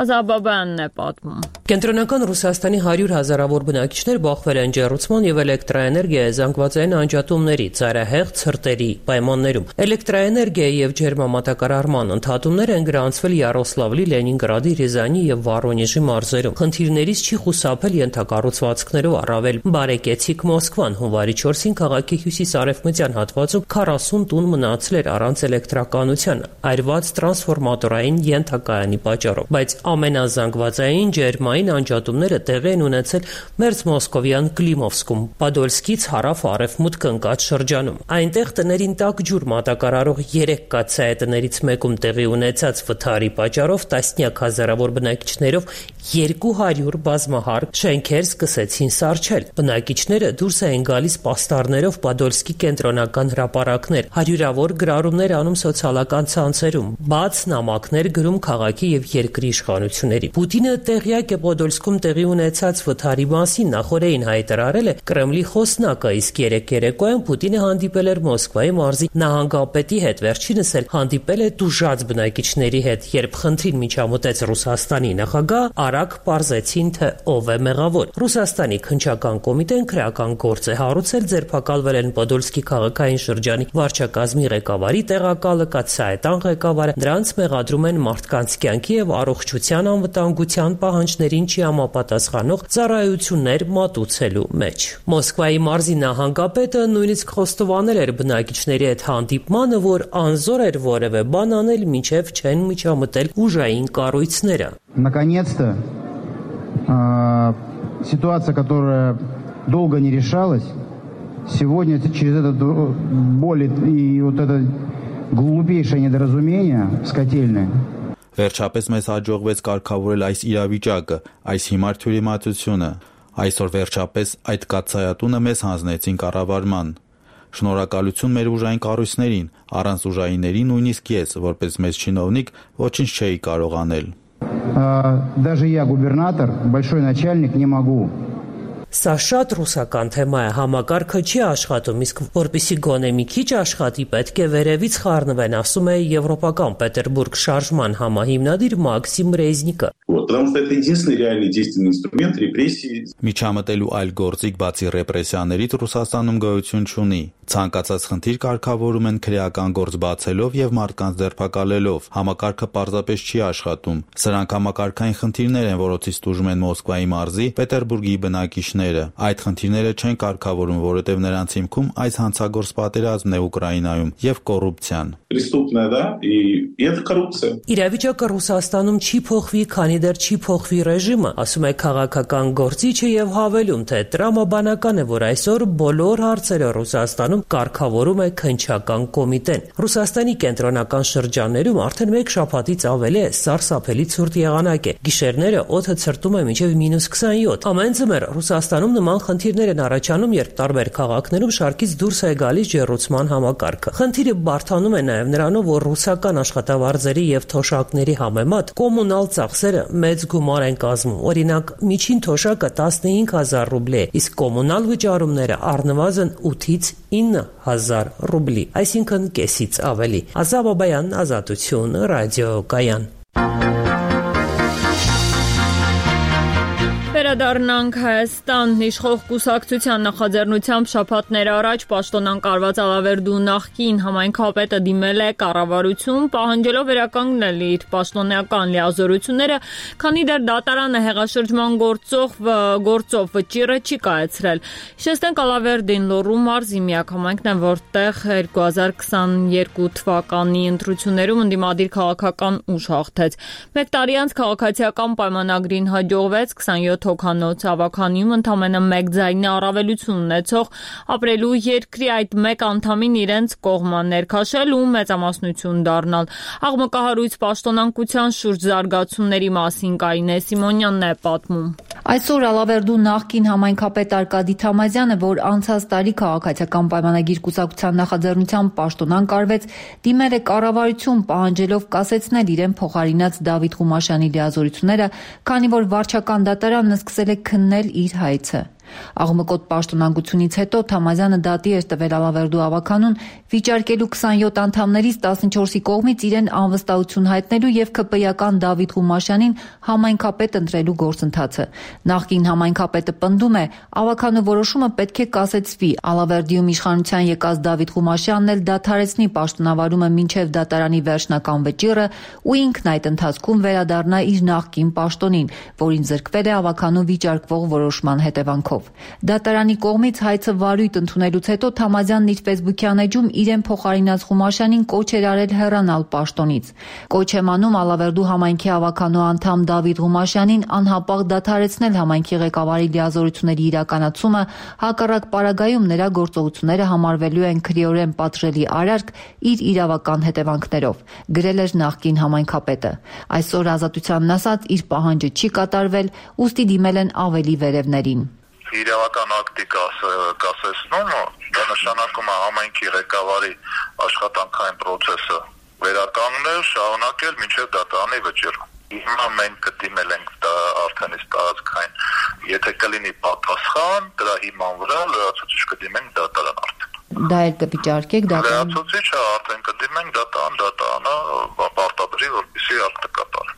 Ազաբաբյանն է պատմում։ Կենտրոնական Ռուսաստանի հարյուր հազարավոր բնակիչներ բախվել են ջեռուցման եւ էլեկտրաէներգիայի զանգվածային անջատումների, ծայրահեղ ցրտերի պայմաններում։ Էլեկտրաէներգիայի եւ ջերմամատակարարման ընդհատումներ են անցվել Յարոսլավլի, Լենինգրադի, Ռիզանի եւ Վորոնեժի մարզերում։ Խնդիրներից չի խուսափել ենթակառուցվածքներով առավել բարեկեցիկ Մոսկվան։ Հունվարի չորսին քաղաքի հյուսիս-արևմտյան հատվածում քառասուն տուն մնացել էր առանց էլեկտրականության, այրված տրանսֆորմատորային ենթակայանի պատճառով։ Բայց ամենազանգվածային ջերմային անջատումները տեղի են ունեցել Մերձ Մոսկովյան Կլիմովսկում, Պադոլսկից հարավ-արևմուտք ընկած շրջանում։ Այնտեղ տներին տաք ջուր մատակարարող երեք կաթսայատներից մեկում տեղի ունեցած վթարի պատճառով տասնյակ հազարավոր բնակիչներով երկու հարյուր բազմահարկ շենքեր սկսեցին սառչել։ Բնակիչները դուրս էին գալիս պաստառներով Պադոլսկի կենտրոնական հրապարակներ, հարյուրավոր գրառումներ անում սոցիալական ցանցերում, բաց նամակներ գրում քաղաքի եւ երկրի իշխանությունների։ Պուտինը տեղյակ է Պադոլսկում տեղի ունեցած վթարի մասին, նախորդին հայտարարել է Կրեմլի խոսնակը, իսկ երեք երեկոյան Պուտինը հանդիպել էր Մոսկվայի մարզի նահանգապետի հետ, վերջինս էլ հանդիպել է տուժած բնակիչների հետ, երբ խնդրին միջամտեց Ռուսաստանի նախագահ, արագ պարզեցին, թե ով է մեղավոր։ Ռուսաստանի քննչական կոմիտեն քրեական գործ է հարուցել, ձերբակալվել են Պոդոլսկի քաղաքային շրջանի վարչակազմի ղեկավարի տեղակալը, կաթսայետան ղեկավարը, դրանց մեղադրում են մարդկանց կյանքի եւ առողջության անվտանգության պահանջներին չհամապատասխանող ծառայություններ մատուցելու մեջ։ Մոսկվայի մարզի նահանգապետը նույնիսկ խոստովանել էր բնակիչների հետ հանդիպմանը, որ անզոր էր որևէ բան անել, մինչև չեն միջամտել ուժային կառույցները։ Наконец-то ситуация, которая долго не решалась, сегодня через это боль и вот это глупейшее недоразумение с котельной. Վերջապես մեզ հաջողվեց կարգավորել այս իրավիճակը, այս հիմար թյուրիմացությունը։ Այսօր վերջապես այդ կաթսայատունը մեզ հանձնեցին կառավարման։ Շնորհակալություն մեր ուժային կառույցներին, առանց ուժայինների նույնիսկ ես, որպես մեծ չինովնիկ, ոչինչ չէի կարող անել։ Даже я, губернатор, большой начальник, не могу. Սա շատ ռուսական թեմա է, համակարգը չի աշխատում, իսկ որպեսզի գոնե մի քիչ աշխատի, պետք է վերևից խառնվեն, ասում է Եվրոպական Պետերբուրգ շարժման համահիմնադիր Մաքսիմ Ռեզնիկը։ Միջամտելու այլ գործիք բացի ռեպրեսիաներից Ռուսաստանում գոյություն չունի։ Ցանկացած խնդիր կարգավորում են քրեական գործ բացելով եւ մարդկանց ձերբակալելով։ Համակարգը պարզապես չի աշխատում։ Սրանք համակարգային խնդիրներ են, որոնցից տուժում են Մոսկվայի մարզի, Պետերբուրգի բնակիչները։ Այդ խնդիրները չեն կարգավորում, որովհետեւ նրանց հիմքում այս հանցագործ պատերազմն է Ուկրաինայում եւ կոռուպցիան։ Իրավիճակը Ռուսաստանում չի փոխվի, քանի դեռ չի փոխվի ռեժիմը, ասում է քաղաքական գործիչը եւ հավելում, թե տրամաբանական է, որ այսօր բոլոր հարցերը Ռուսաստանում կարգավորում է քննչական կոմիտեն։ Ռուսաստանի կենտրոնական շրջաններում արդեն մեկ շաբաթից ավելի է սարսափելի ցուրտ եղանակ է։ Գիշերները օդը ցրտում է մինչև մինուս քսանյոթ։ Ամեն ձմեռ Ռուսաստանում նման խնդիրներ են առաջանում, երբ տարբեր քաղաքներում շարքից դուրս է գալիս ջեռուցման համակարգը։ Խնդիրը բարդանում է նաև նրանով, որ ռուսական աշխատավարձերի եւ թոշակների համեմատ կոմունալ ծախսերը մեծ գումար են կազմում։ Օրինակ, միջին թոշակը տասնհինգ հազար ռուբլի է, իսկ կոմունալ վճարումները առնվազն ութից ինը հազար ռուբլի, այսինքն կեսից ավելի։ Ազատ Բաբայան, Ազատություն, ռադիոկայան։ Վերադառնանք Հայաստան։ Իշխող կուսակցության նախաձեռնությամբ շաբաթներ առաջ պաշտոնան կարված Ալավերդու նախկին համայնքապետը դիմել է կառավարություն, պահանջելով վերականգնել իր պաշտոնական լիազորությունները, քանի դեռ դատարանը հեղաշրջման գործով գործով վճիռը չի կայացրել։ Հիշեցնենք, Ալավերդին Լոռու մարզի միակ համայնքն է, որտեղ երկու հազար քսաներկու թվականի ընտրություններում ընդդիմադիր քաղաքական ուժ հաղթեց։ Մեկ տարի անց քաղաքացիական պայմանագրին հաջողվեց քսանյոթ հոգանոց ավականիում ընդամենը մեկ ձայնի առավելություն ունեցող ապրելու երկրի այդ մեկ անդամին իրենց կողմը ներքաշել ու մեծամասնություն դառնալ։ Աղմկահարույց պաշտոնանկության շուրջ զարգացումների մասին Կարինե Սիմոնյանն է պատմում։ Այսօր Ալավերդու նախկին համայնքապետ Արկադի Թամազյանը, որ անցած տարի քաղաքացիական պայմանագիր կուսակցության նախաձեռնությամբ պաշտոնան կարվեց, դիմել է կառավարություն, պահանջելով կասեցնել իրեն փոխարինած Դավիթ Ղումաշյանի լիազորությունները, քանի որ վարչական դատարանն սկսել է քննել իր հայցը։ Աղմկոտ պաշտոնանկությունից հետո Թամազյանը դատի էր տվել Ալավերդու ավականուն վիճարկելու քսանյոթ անդամներից տասնչորսի կողմից իրեն անվստահություն հայտնելու եւ ՔՊ-ական Դավիթ Ղումաշյանին համայնքապետ ընտրելու գործընթացը։ Նախկին համայնքապետը պնդում է, ավականու որոշումը պետք է կասեցվի, Ալավերդիում իշխանության եկած Դավիթ Ղումաշյանն էլ դադարեցնի պաշտոնավարումը մինչև դատարանի վերջնական վճիռը ու ինքն այդ ընթացքում վերադառնա իր նախկին պաշտոնին, որին զրկվել է ավականու վիճարկվող որոշման հետևանքով։ Դատարանի կողմից հայցը վարույթ ընդունելուց հետո Թամազյանն իր ֆեյսբուքյան էջում իրեն փոխարինած Ղումաշյանին կոչ էր արել հեռանալ պաշտոնից։ Կոչ եմ անում Ալավերդու համայնքի ավականու անդամ Դավիթ Ղումաշյանին անհապաղ դադարեցնել համայնքի ղեկավարի լիազորությունների իրականացումը, հակառակ պարագայում նրա գործողությունները համարվելու են քրեորեն պատժելի արարք իր իրավական հետևանքներով, գրել էր նախկին համայնքապետը։ Այսօր Ազատությանն ասած, իր պահանջը չի կատարվել, ուստի դիմել են ավելի վերևներին։ Իրավական ակտի կասեցնումը դա նշանակում է համայնքի ղեկավարի աշխատանքային process-ը վերականգնել, շարունակել մինչև դատարանի վճիռը։ Հիմա մենք կդիմել ենք դա արդեն իսկ տարածքային, եթե կլինի պատասխան, դրա հիման վրա լրացուցիչ կդիմենք դատարան արդեն։ Դա էլ կվիճարկեք դատարան։ Լրացուցիչը արդեն կդիմենք դատարան, դատարանը պարտադրի, որպեսզի ակտը կատարի։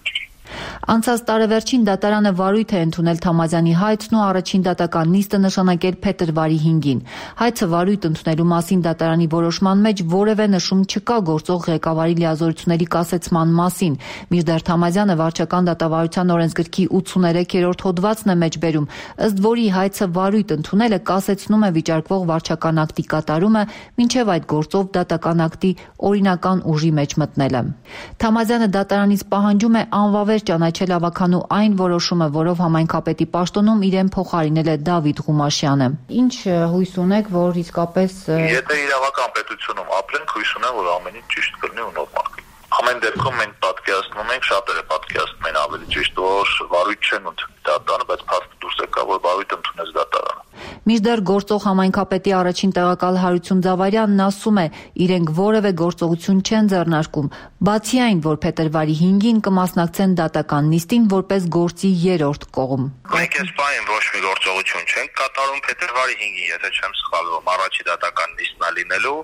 Անցած տարեվերջին դատարանը վարույթ է ընդունել Թամազյանի հայցն ու առաջին դատական նիստը նշանակել փետրվարի հինգին։ Հայցը վարույթ ընդունելու մասին դատարանի որոշման մեջ որևէ նշում չկա գործող ղեկավարի լիազորությունների կասեցման մասին, մինչդեռ Թամազյանը վարչական դատավարության օրենսգրքի ութսուներեքերորդ հոդվածն է մեջբերում, ըստ որի հայցը վարույթ ընդունելը կասեցնում է վիճարկվող վարչական ակտի կատարումը, մինչև այդ գործով դատական ակտի օրինական ուժի մեջ մտնելը։ Թամազյանը դատարանից պահանջում է անվավեր ճանաչել ավականու այն որոշումը, որով համայնքապետի պաշտոնում իրեն փոխարինել է Դավիթ Ղումաշյանը։ Ինչ հույս ունեք, որ իսկապես Եթե իրավական պետությունում ապրենք, հույս ունեմ, որ ամեն ինչ ճիշտ կլինի ու նորմալ կլինի։ Ամեն դեպքում մենք պատկերացնում ենք, շատերը պատկերացնում են ավելի ճիշտ, որ վարույթ չեն ընդունել։ դատարանը, բայց փաստը դուրս եկավ, որ Բավիթը ընդունեց դատարանը։ Մինչդեռ գործող համայնքապետի առաջին տեղակալ Հարություն Ձավարյանն ասում է, իրենք որևէ գործողություն չեն ձեռնարկում, բացի այն, որ փետրվարի հինգին կմասնակցեն դատական նիստին որպես գործի երրորդ կողմ։ Մենք այս պահին ոչ մի գործողություն չենք կատարում փետրվարի հինգին, եթե չեմ սխալվում, առաջի դատական նիստն է լինելու,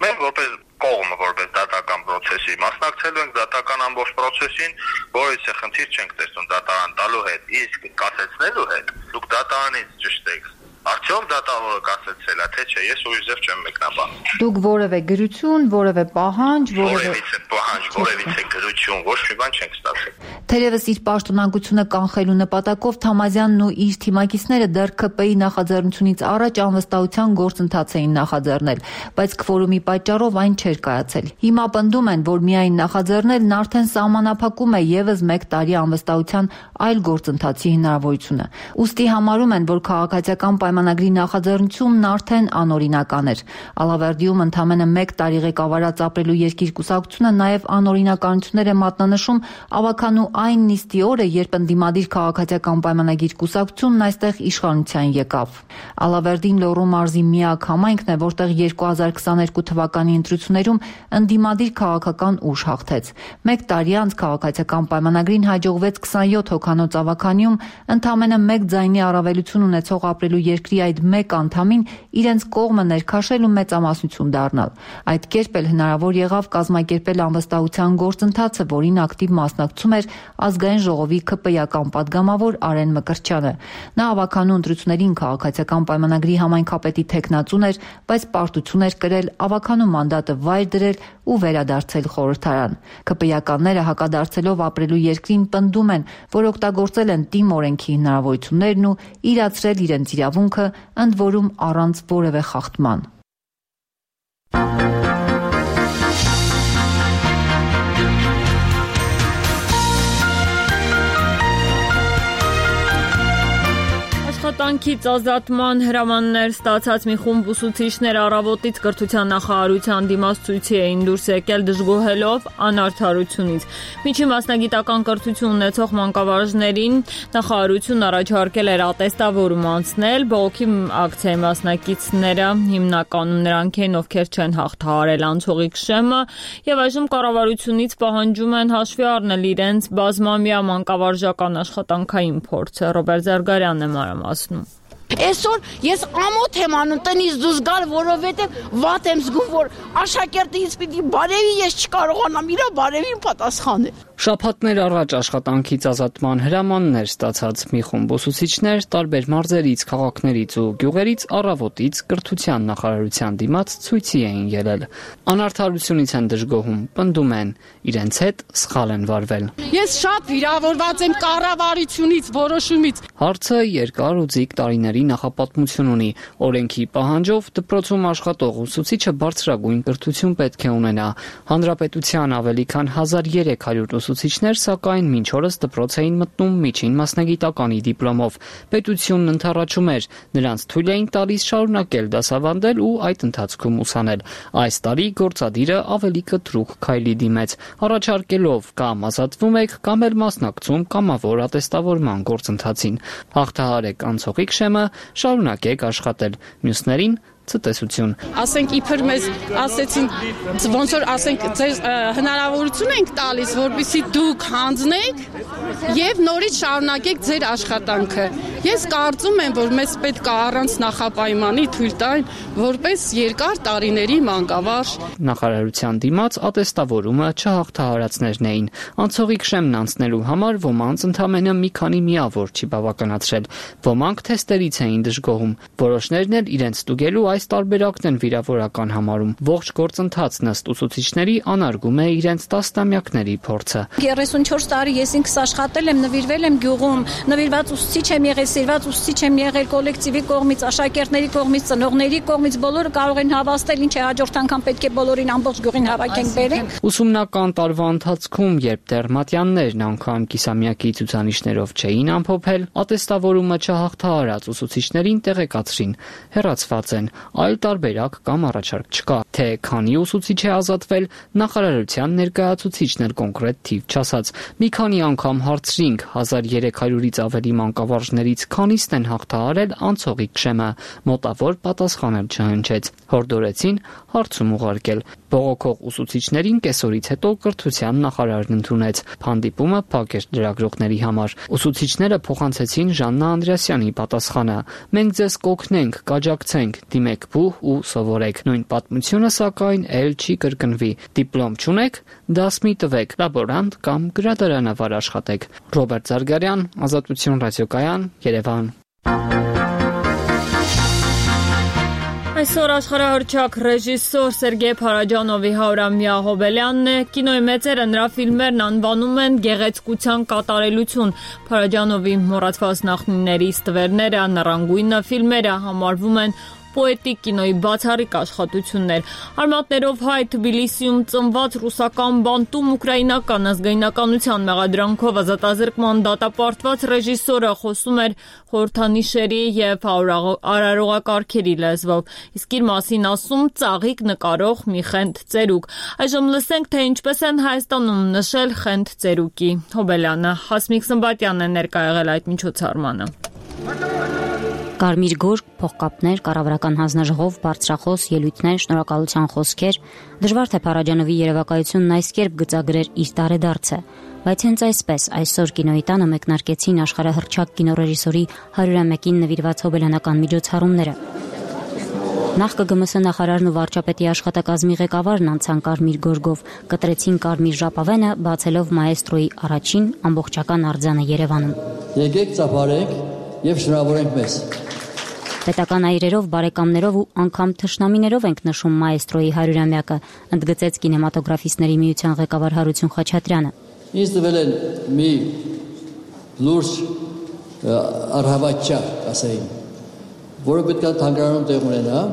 մենք որպես կողմը, որպես դատական process-ի մասնակցելու ենք դատական ամբողջ process-ին, որից է խնդիր չենք տեսնում դատարան տալու հետ, իսկ կասեցնելու հետ, դուք դատարանից ճշտ եք։ Արդյոք դատավորը կասեցել է, թե չէ, ես ուրիշ ձև չեմ մեկնաբանում։ Դուք որևէ գրություն, որևէ պահանջ, որևէ պահանջ, որևէ գրություն, ոչ մի բան չենք ստացել։ Թերևս իր պաշտոնակությունը կանխելու նպատակով Թամազյանն ու իր թիմակիցները դեռ ՔՊ-ի նախաձեռնությունից առաջ անվստահության գործընթաց էին նախաձեռնել, բայց քվորումի պատճառով այն չէր կայացել։ Հիմա պնդում են, որ միայն նախաձեռնելն արդեն սահմանափակում է եւս մեկ տարի անվստահության այլ գործընթացի հնարավորությունը։ Ուստի համարում են, որ քաղաքացիական պայմանագրի նախաձեռնությունն արդեն անօրինական էր։ Ալավերդիում ընդամենը մեկ տարի ղեկավարած ապրելու երկիր կուսակցությունը նաև անօրինականություններ է մատնանշում ավականու այն նիստի օրը, երբ ընդդիմադիր քաղաքացիական պայմանագիր կուսակցությունն այստեղ իշխանության եկավ։ Ալավերդին Լոռու մարզի միակ համայնքն է, որտեղ երկու հազար քսաներկու թվականի ընտրություններում ընդդիմադիր քաղաքական ուժ հաղթեց։ Մեկ տարի անց քաղաքացիական պայմանագրին հաջողվեց քսանյոթ հոգանոց ավականիում ընդամենը մեկ ձայնի առավելություն ունեցող ապրելու երկրի այդ մեկ անդամին իրենց կողմը ներքաշել ու մեծամասնություն դառնալ։ Այդ կերպ էլ հնարավոր եղավ կազմակերպել անվստահության գործընթացը, որին ակտիվ մասնակցում էր ազգային ժողովի ՔՊ-ական падգամավոր Արեն Մկրտչյանը։ Նա ավականու ընտրություններին քաղաքացիական պայմանագրի համայնքապետի թեկնածուն էր, բայց պարտություն էր կրել ավականու մանդատը վայր դրել ու վերադարձել խորհրդարան։ ՔՊ-ականները հակադարձելով ապրելու երկրին պնդում են, որ օգտագործել են թիմ օրենքի հնարավորություններն ու իրացրել իրենց իրավունքը, ընդ որում առանց որևէ խախտման։ Աշխատանքից ազատման հրամաններ ստացած մի խումբ ուսուցիչներ առավոտից կրթության նախարարության դիմաց ցույցի էին դուրս եկել դժգոհելով անարդարությունից։ Միջին մասնագիտական կրթություն ունեցող մանկավարժներին նախարարությունն առաջարկել էր ատեստավորում անցնել, բողոքի ակցիայի մասնակիցները հիմնականում նրանք են, ովքեր չեն հաղթահարել անցողիկ շեմը, եւ այժմ կառավարությունից պահանջում են հաշվի առնել իրենց բազմամյա մանկավարժական աշխատանքային փորձը։ Ռոբերտ Զարգարյանն է մանրամասնում։ Այսօր ես ամոթ եմ անում տնից դուրս գալ, որովհետև վատ եմ զգում, որ աշակերտից պիտի բարևի ես չկարողանամ իրա բարևին պատասխանել։ Շաբաթներ առաջ աշխատանքից ազատման հրամաններ ստացած մի խումբ ուսուցիչներ տարբեր մարզերից, քաղաքներից ու գյուղերից առավոտից կրթության նախարարության դիմաց ցույցի էին ելել։ Անարդարությունից են դժգոհում, պնդում են, իրենց հետ սխալ են վարվել։ Ես շատ վիրավորված եմ կառավարությունից, որոշումից։ Հարցը երկար ու ձիգ տարիների նախապատմություն ունի։ Օրենքի պահանջով դպրոցում աշխատող ուսուցիչը բարձրագույն կրթություն պետք է ունենա։ Հանրապետության ավելի քան հազար երեք հարյուր ուսուցիչներ, սակայն մինչ օրս դպրոց էին մտնում միջին մասնագիտականի դիպլոմով։ Պետությունն ընդառաջում էր, նրանց թույլ էին տալիս շարունակել դասավանդել ու այդ ընթացքում ուսանել։ Այս տարի գործադիրը ավելի կտրուկ քայլի դիմեց, առաջարկելով կամ ազատվում եք, կամ էլ մասնակցում կամավոր ատեստավորման գործընթացին։ Հաղթահարեք անցողիկ շեմը, շարունակեք աշխատել։ Մյուսներին ցտեսություն։ Ասենք իբր մեզ ասեցին, ոնց որ ասենք ձեր հնարավորություն ենք տալիս, որպեսզի դուք հանձնեք եւ նորից շարունակեք ձեր աշխատանքը։ Ես կարծում եմ, որ մեզ պետք է առանց նախապայմանի թույլ տային, որպես երկար տարիների մանկավարժ։ Նախարարության դիմաց ատեստավորումը չհաղթահարածներն էին։ Անցողիկ շեմն անցնելու համար ոմանց ընդամենը մի քանի միավոր չի բավականացրել։ Ոմանք թեստերից էին դժգոհում։ Որոշներն էլ իրենց ստուգելու այս տարբերակն են վիրավորական համարում։ Ողջ գործընթացն ըստ ուսուցիչների անարգում է իրենց տասնամյակների փորձը։ երեսունչորս տարի ես ինքս աշխատել եմ, նվիրվել եմ գյուղում, նվիրված ուսուցիչ եմ եղել, սիրված ուսուցիչ եմ եղել կոլեկտիվի կողմից, աշակերտների կողմից, ծնողների կողմից, բոլորը կարող են հավաստել, ինչ է հաջորդ անգամ պետք է բոլորին ամբողջ գյուղին հավաքենք բերենք։ Ուսումնական տարվա ընթացքում, երբ դեռ մատյաններն անգամ կիսամյակի ցուցանիշներով չէին ամփոփել, ատեստավորումը չհաղթահարած ուսուցիչներին տեղեկացրին, հեռացված են, այլ տարբերակ կամ առաջարկ չկա։ Թե քանի ուսուցիչ է ազատվել, նախարարության ներկայացուցիչն էլ կոնկրետ թիվ չասաց։ Մի քանի անգամ հարցրինք հազար երեք հարյուրից ավելի մանկավարժներից քանիսն են հաղթահարել անցողիկ շեմը, մոտավոր պատասխանել չհնչեց։ Հորդորեցին հարցում ուղարկել։ Բողոքող ուսուցիչներին կեսօրից հետո կրթության նախարարն ընդունեց։ Հանդիպումը փակ էր լրագրողների համար։ Ուսուցիչները փոխանցեցին Ժաննա Անդրեասյանի պատասխանը. «Մենք ձեզ կօգնենք, կաջակցենք, դիմեք բուհ ու սովորեք»։ Նույն պատմությունը սակայն էլ չի կրկնվի։ Դիպլոմ չունեք, դաս մի տվեք, լաբորանտ կամ գրադարանավար աշխատեք։ Ռոբերտ Զարգարյան, Ազատություն ռադիոկայան, Երևան։ Այսօր աշխարհահռչակ ռեժիսոր Սերգեյ Փարաջանովի հարյուրամյա հոբելյանն է։ Կինոյի մեծերը նրա ֆիլմերն անվանում են գեղեցկության կատարելություն։ Փարաջանովի մոռացված նախնիների ստվերները, նռանգույնը ֆիլմերը համարվում են պոետիկ կինոյի բացառիկ աշխատություններ։ Արմատներով հայ Թբիլիսիում ծնված ռուսական բանտում ուկրաինական ազգայնականության մեղադրանքով ազատազրկման դատապարտված ռեժիսորը խոսում էր խորհրդանիշերի եւ արարողակարգերի լեզվով, իսկ իր մասին ասում ծաղիկ նկարող մի խենթ ծերուկ։ Այժմ լսենք, թե ինչպես են Հայաստանում նշել խենթ ծերուկի հոբելյանը։ Հասմիկ Սմբատյանն է ներկա եղել այդ միջոցառմանը։ Կարմիր գորգ, փողկապներ, կառավարական հանձնաժողով, բարձրախոս, ելույթներ, շնորհակալության խոսքեր։ Դժվար թե Փարաջանովի երևակայությունն այս կերպ գծագրեր իր տարեդարձը, բայց հենց այսպես այսօր կինոյի տանը մեկնարկեցին աշխարհահռչակ կինոռեժիսորի հարյուրամյակին նվիրված հոբելյանական միջոցառումները։ Նախ ԿԳՄՍ նախարարն ու վարչապետի աշխատակազմի ղեկավարն անցան կարմիր գորգով, կտրեցին կարմիր ժապավենը, բացելով մաեստրոյի առաջին ամբողջական արձանը Երևանում։ Եկեք ծափարենք եւ շնորհավորենք մեզ։ Պետական այրերով, բարեկամներով ու անգամ թշնամիներով ենք նշում մաեստրոյի հարյուրամյակը, ընդգծեց կինեմատոգրաֆիստների միության ղեկավար Հարություն Խաչատրյանը։ Ինձ տվել են մի լուրջ առհավատչա, ասային, որը պետք է թանգարանում տեղ ունենա,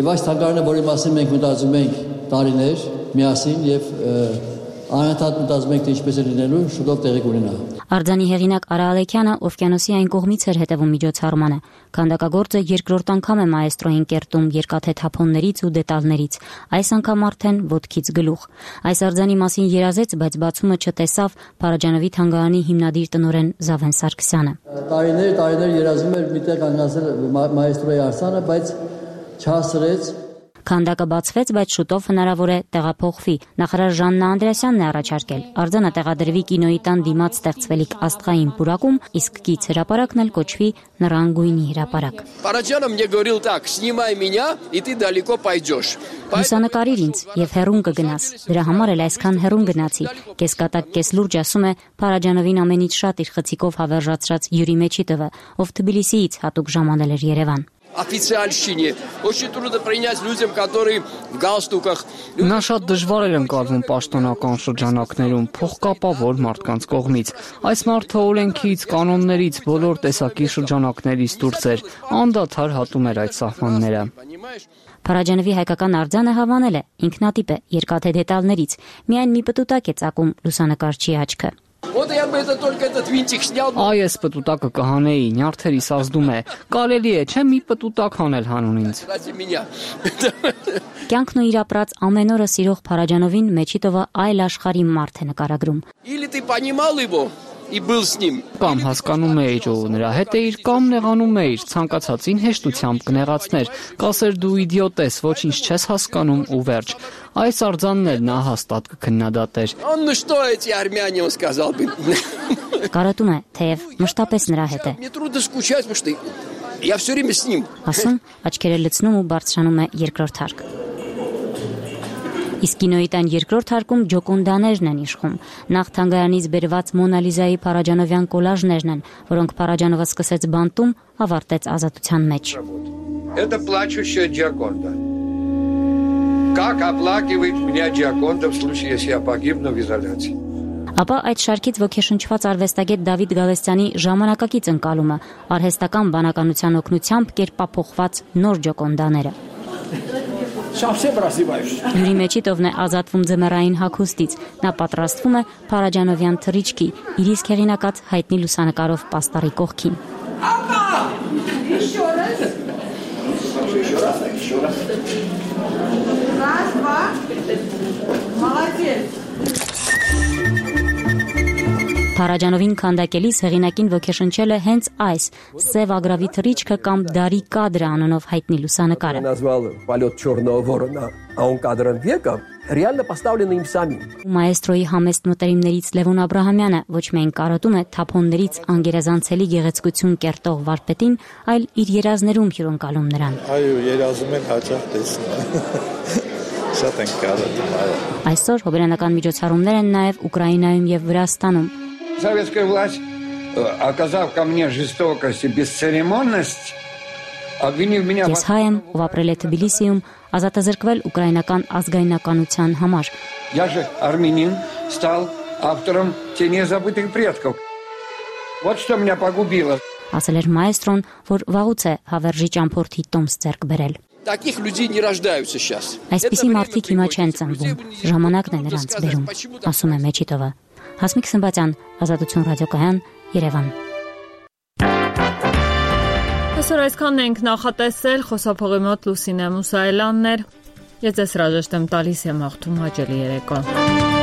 եւ այս թանգարանը, որի մասին մենք մտածում ենք տարիներ միասին եւ անընդհատ մտածում ենք, թե ինչպես է լինելու, շուտով տեղի կունենա։ Արձանի հեղինակ Արա Ալեքյանը Օվկիանոսի այն կողմից էր հետևում միջոցառմանը։ Քանդակագործը երկրորդ անգամ է մաեստրոյին կերտում երկաթե թափոններից ու դետալներից, այս անգամ արդեն ոտքից գլուխ։ Այս արձանի մասին երազեց, բայց բացումը չտեսավ Փարաջանովի թանգարանի հիմնադիր տնօրեն Զավեն Սարգսյանը։ Տարիներ, տարիներ երազում էր միտեղ կանգնացել մաեստրոյի արձանը, բայց չհասցրեց։ Քանդակը բացվեց, բայց շուտով հնարավոր է տեղափոխվի։ Նախարար Ժաննա Անդրեասյանն է առաջարկել արձանը տեղադրվի կինոյի տան դիմաց ստեղծվելիք աստղային պուրակում, իսկ կից հրապարակն էլ կոչվի Նռանգույնի հրապարակ։ Փարաջանը мне говорил так: «Снимай меня, и ты далеко пойдешь»։ Լուսանկարիր ինձ եւ հեռուն կգնաս։ Դրա համար էլ այսքան հեռուն գնացի։ Կեսկատակ կես լուրջ ասում է Փարաջանովին ամենից շատ իր խցիկով հավերժացրած Յուրի Մեչիտովը, ով Թբիլիսիից հատուկ ժամանել էր Երևան։ Официальщине. Очень трудно принять людям, которые в галстуках. Նա շատ դժվար էր ընկալվում պաշտոնական շրջանակներում փողկապավոր մարդկանց կողմից։ Այս մարդը օրենքից, կանոններից, բոլոր տեսակի շրջանակներից դուրս էր, անդադար հատում էր այդ սահմանները։ Փարաջանովի հայկական արձանը հավանել է, ինքնատիպ է, երկաթե դետալներից, միայն մի պտուտակ է ծակում լուսանկարչի աչքը։ Вот я бы это только этот винтик снял. Այս պտուտակը կհանեի, նյարդերիս ազդում է։ Կարելի է, չէ՞ մի պտուտակ հանել հանուն ինձ։ Կյանքն ու իր ապրած ամեն օրը սիրող Փարաջանովին Մեչիտովը այլ աշխարհի մարդ է նկարագրում։ Или ты понимал его и был с ним. Կամ հասկանում էիր ու նրա հետ էիր, կամ նեղանում էիր, ցանկացածին հեշտությամբ կնեղացներ, կասեր դու իդիոտ ես, ոչինչ չես հասկանում ու վերջ։ Այս արձանն էլ նա հաստատ կքննադատեր։ Он ну что эти армяне, он сказал бы. Կարոտում է, թեև մշտապես նրա հետ է։ Мне трудно скучать, потому что я все время с ним. Ասում, աչքերը լցնում ու բարձրանում է երկրորդ հարկ։ Իսկ կինոյի տան երկրորդ հարկում ջոկունդաներն են իշխում։ Նախ թանգարանից բերված Մոնալիզայի Փարաջանովյան կոլաժներն են, որոնք Փարաջանովը սկսեց բանտում, ավարտեց ազատության մեջ։ Это плачущая Джаконда. Как оплакивает меня Джаконда в случае, если я погибну в изоляции. Ապա այդ շարքից ոգեշնչված արվեստագետ Դավիթ Գալստյանի ժամանակակից ընկալումը, արհեստական բանականության օգնությամբ կերպափոխված նոր ջոկոնդաները։ Յուրի Մեչիտովն է ազատվում ձմեռային հագուստից։ Նա պատրաստվում է Փարաջանովյան թռիչքի, իր իսկ հեղինակած հայտնի լուսանկարով պաստառի կողքին։ Փարաջանովին քանդակելիս հեղինակին ոգեշնչել է հենց այս սև ագրավի թռիչքը կամ դարի կադրը անունով հայտնի լուսանկարը։ Реально поставлено им самим. Մաեստրոյի համեստ մտերիմներից Լևոն Աբրահամյանը ոչ միայն կարոտում է թափոններից անգերազանցելի գեղեցկություն կերտող վարպետին, այլ իր երազներում հյուրընկալում նրան։ Այո, երազում են հաճախ տեսնել։ Շատ են կարոտում, այո։ Այսօր հոբելյանական միջոցառումներ են նաև Ուկրաինայում եւ Վրաստանում։ Советская власть, оказав ко мне жестокость и бесцеремонность, обвинив меня. Ես հայ եմ, ով ապրել է Թբիլիսիում, ազատազրկվել ուկրաինական ազգայնականության համար։ Я же армянин, стал автором «Теней забытых предков». Вот что меня погубило. Ասել էր մայեստրոն, որ վաղուց է հավերժի ճամփորդի տոմս ձեռք բերել։ Таких людей не рождаются сейчас. Այսպիսի մարդիկ հիմա չեն ծնվում, ժամանակն է նրանց բերում, ասում է Մեչիտովը։ Հասմիկ Սմբատյան, Ազատություն ռադիոկայան, Երևան։ Այսօր այսքանն ենք նախատեսել, խոսափողի մոտ Լուսինե Մուսայելյանն էր։ Ես ձեզ հրաժեշտ եմ տալիս եմ հաղթում հաճելի երեկո։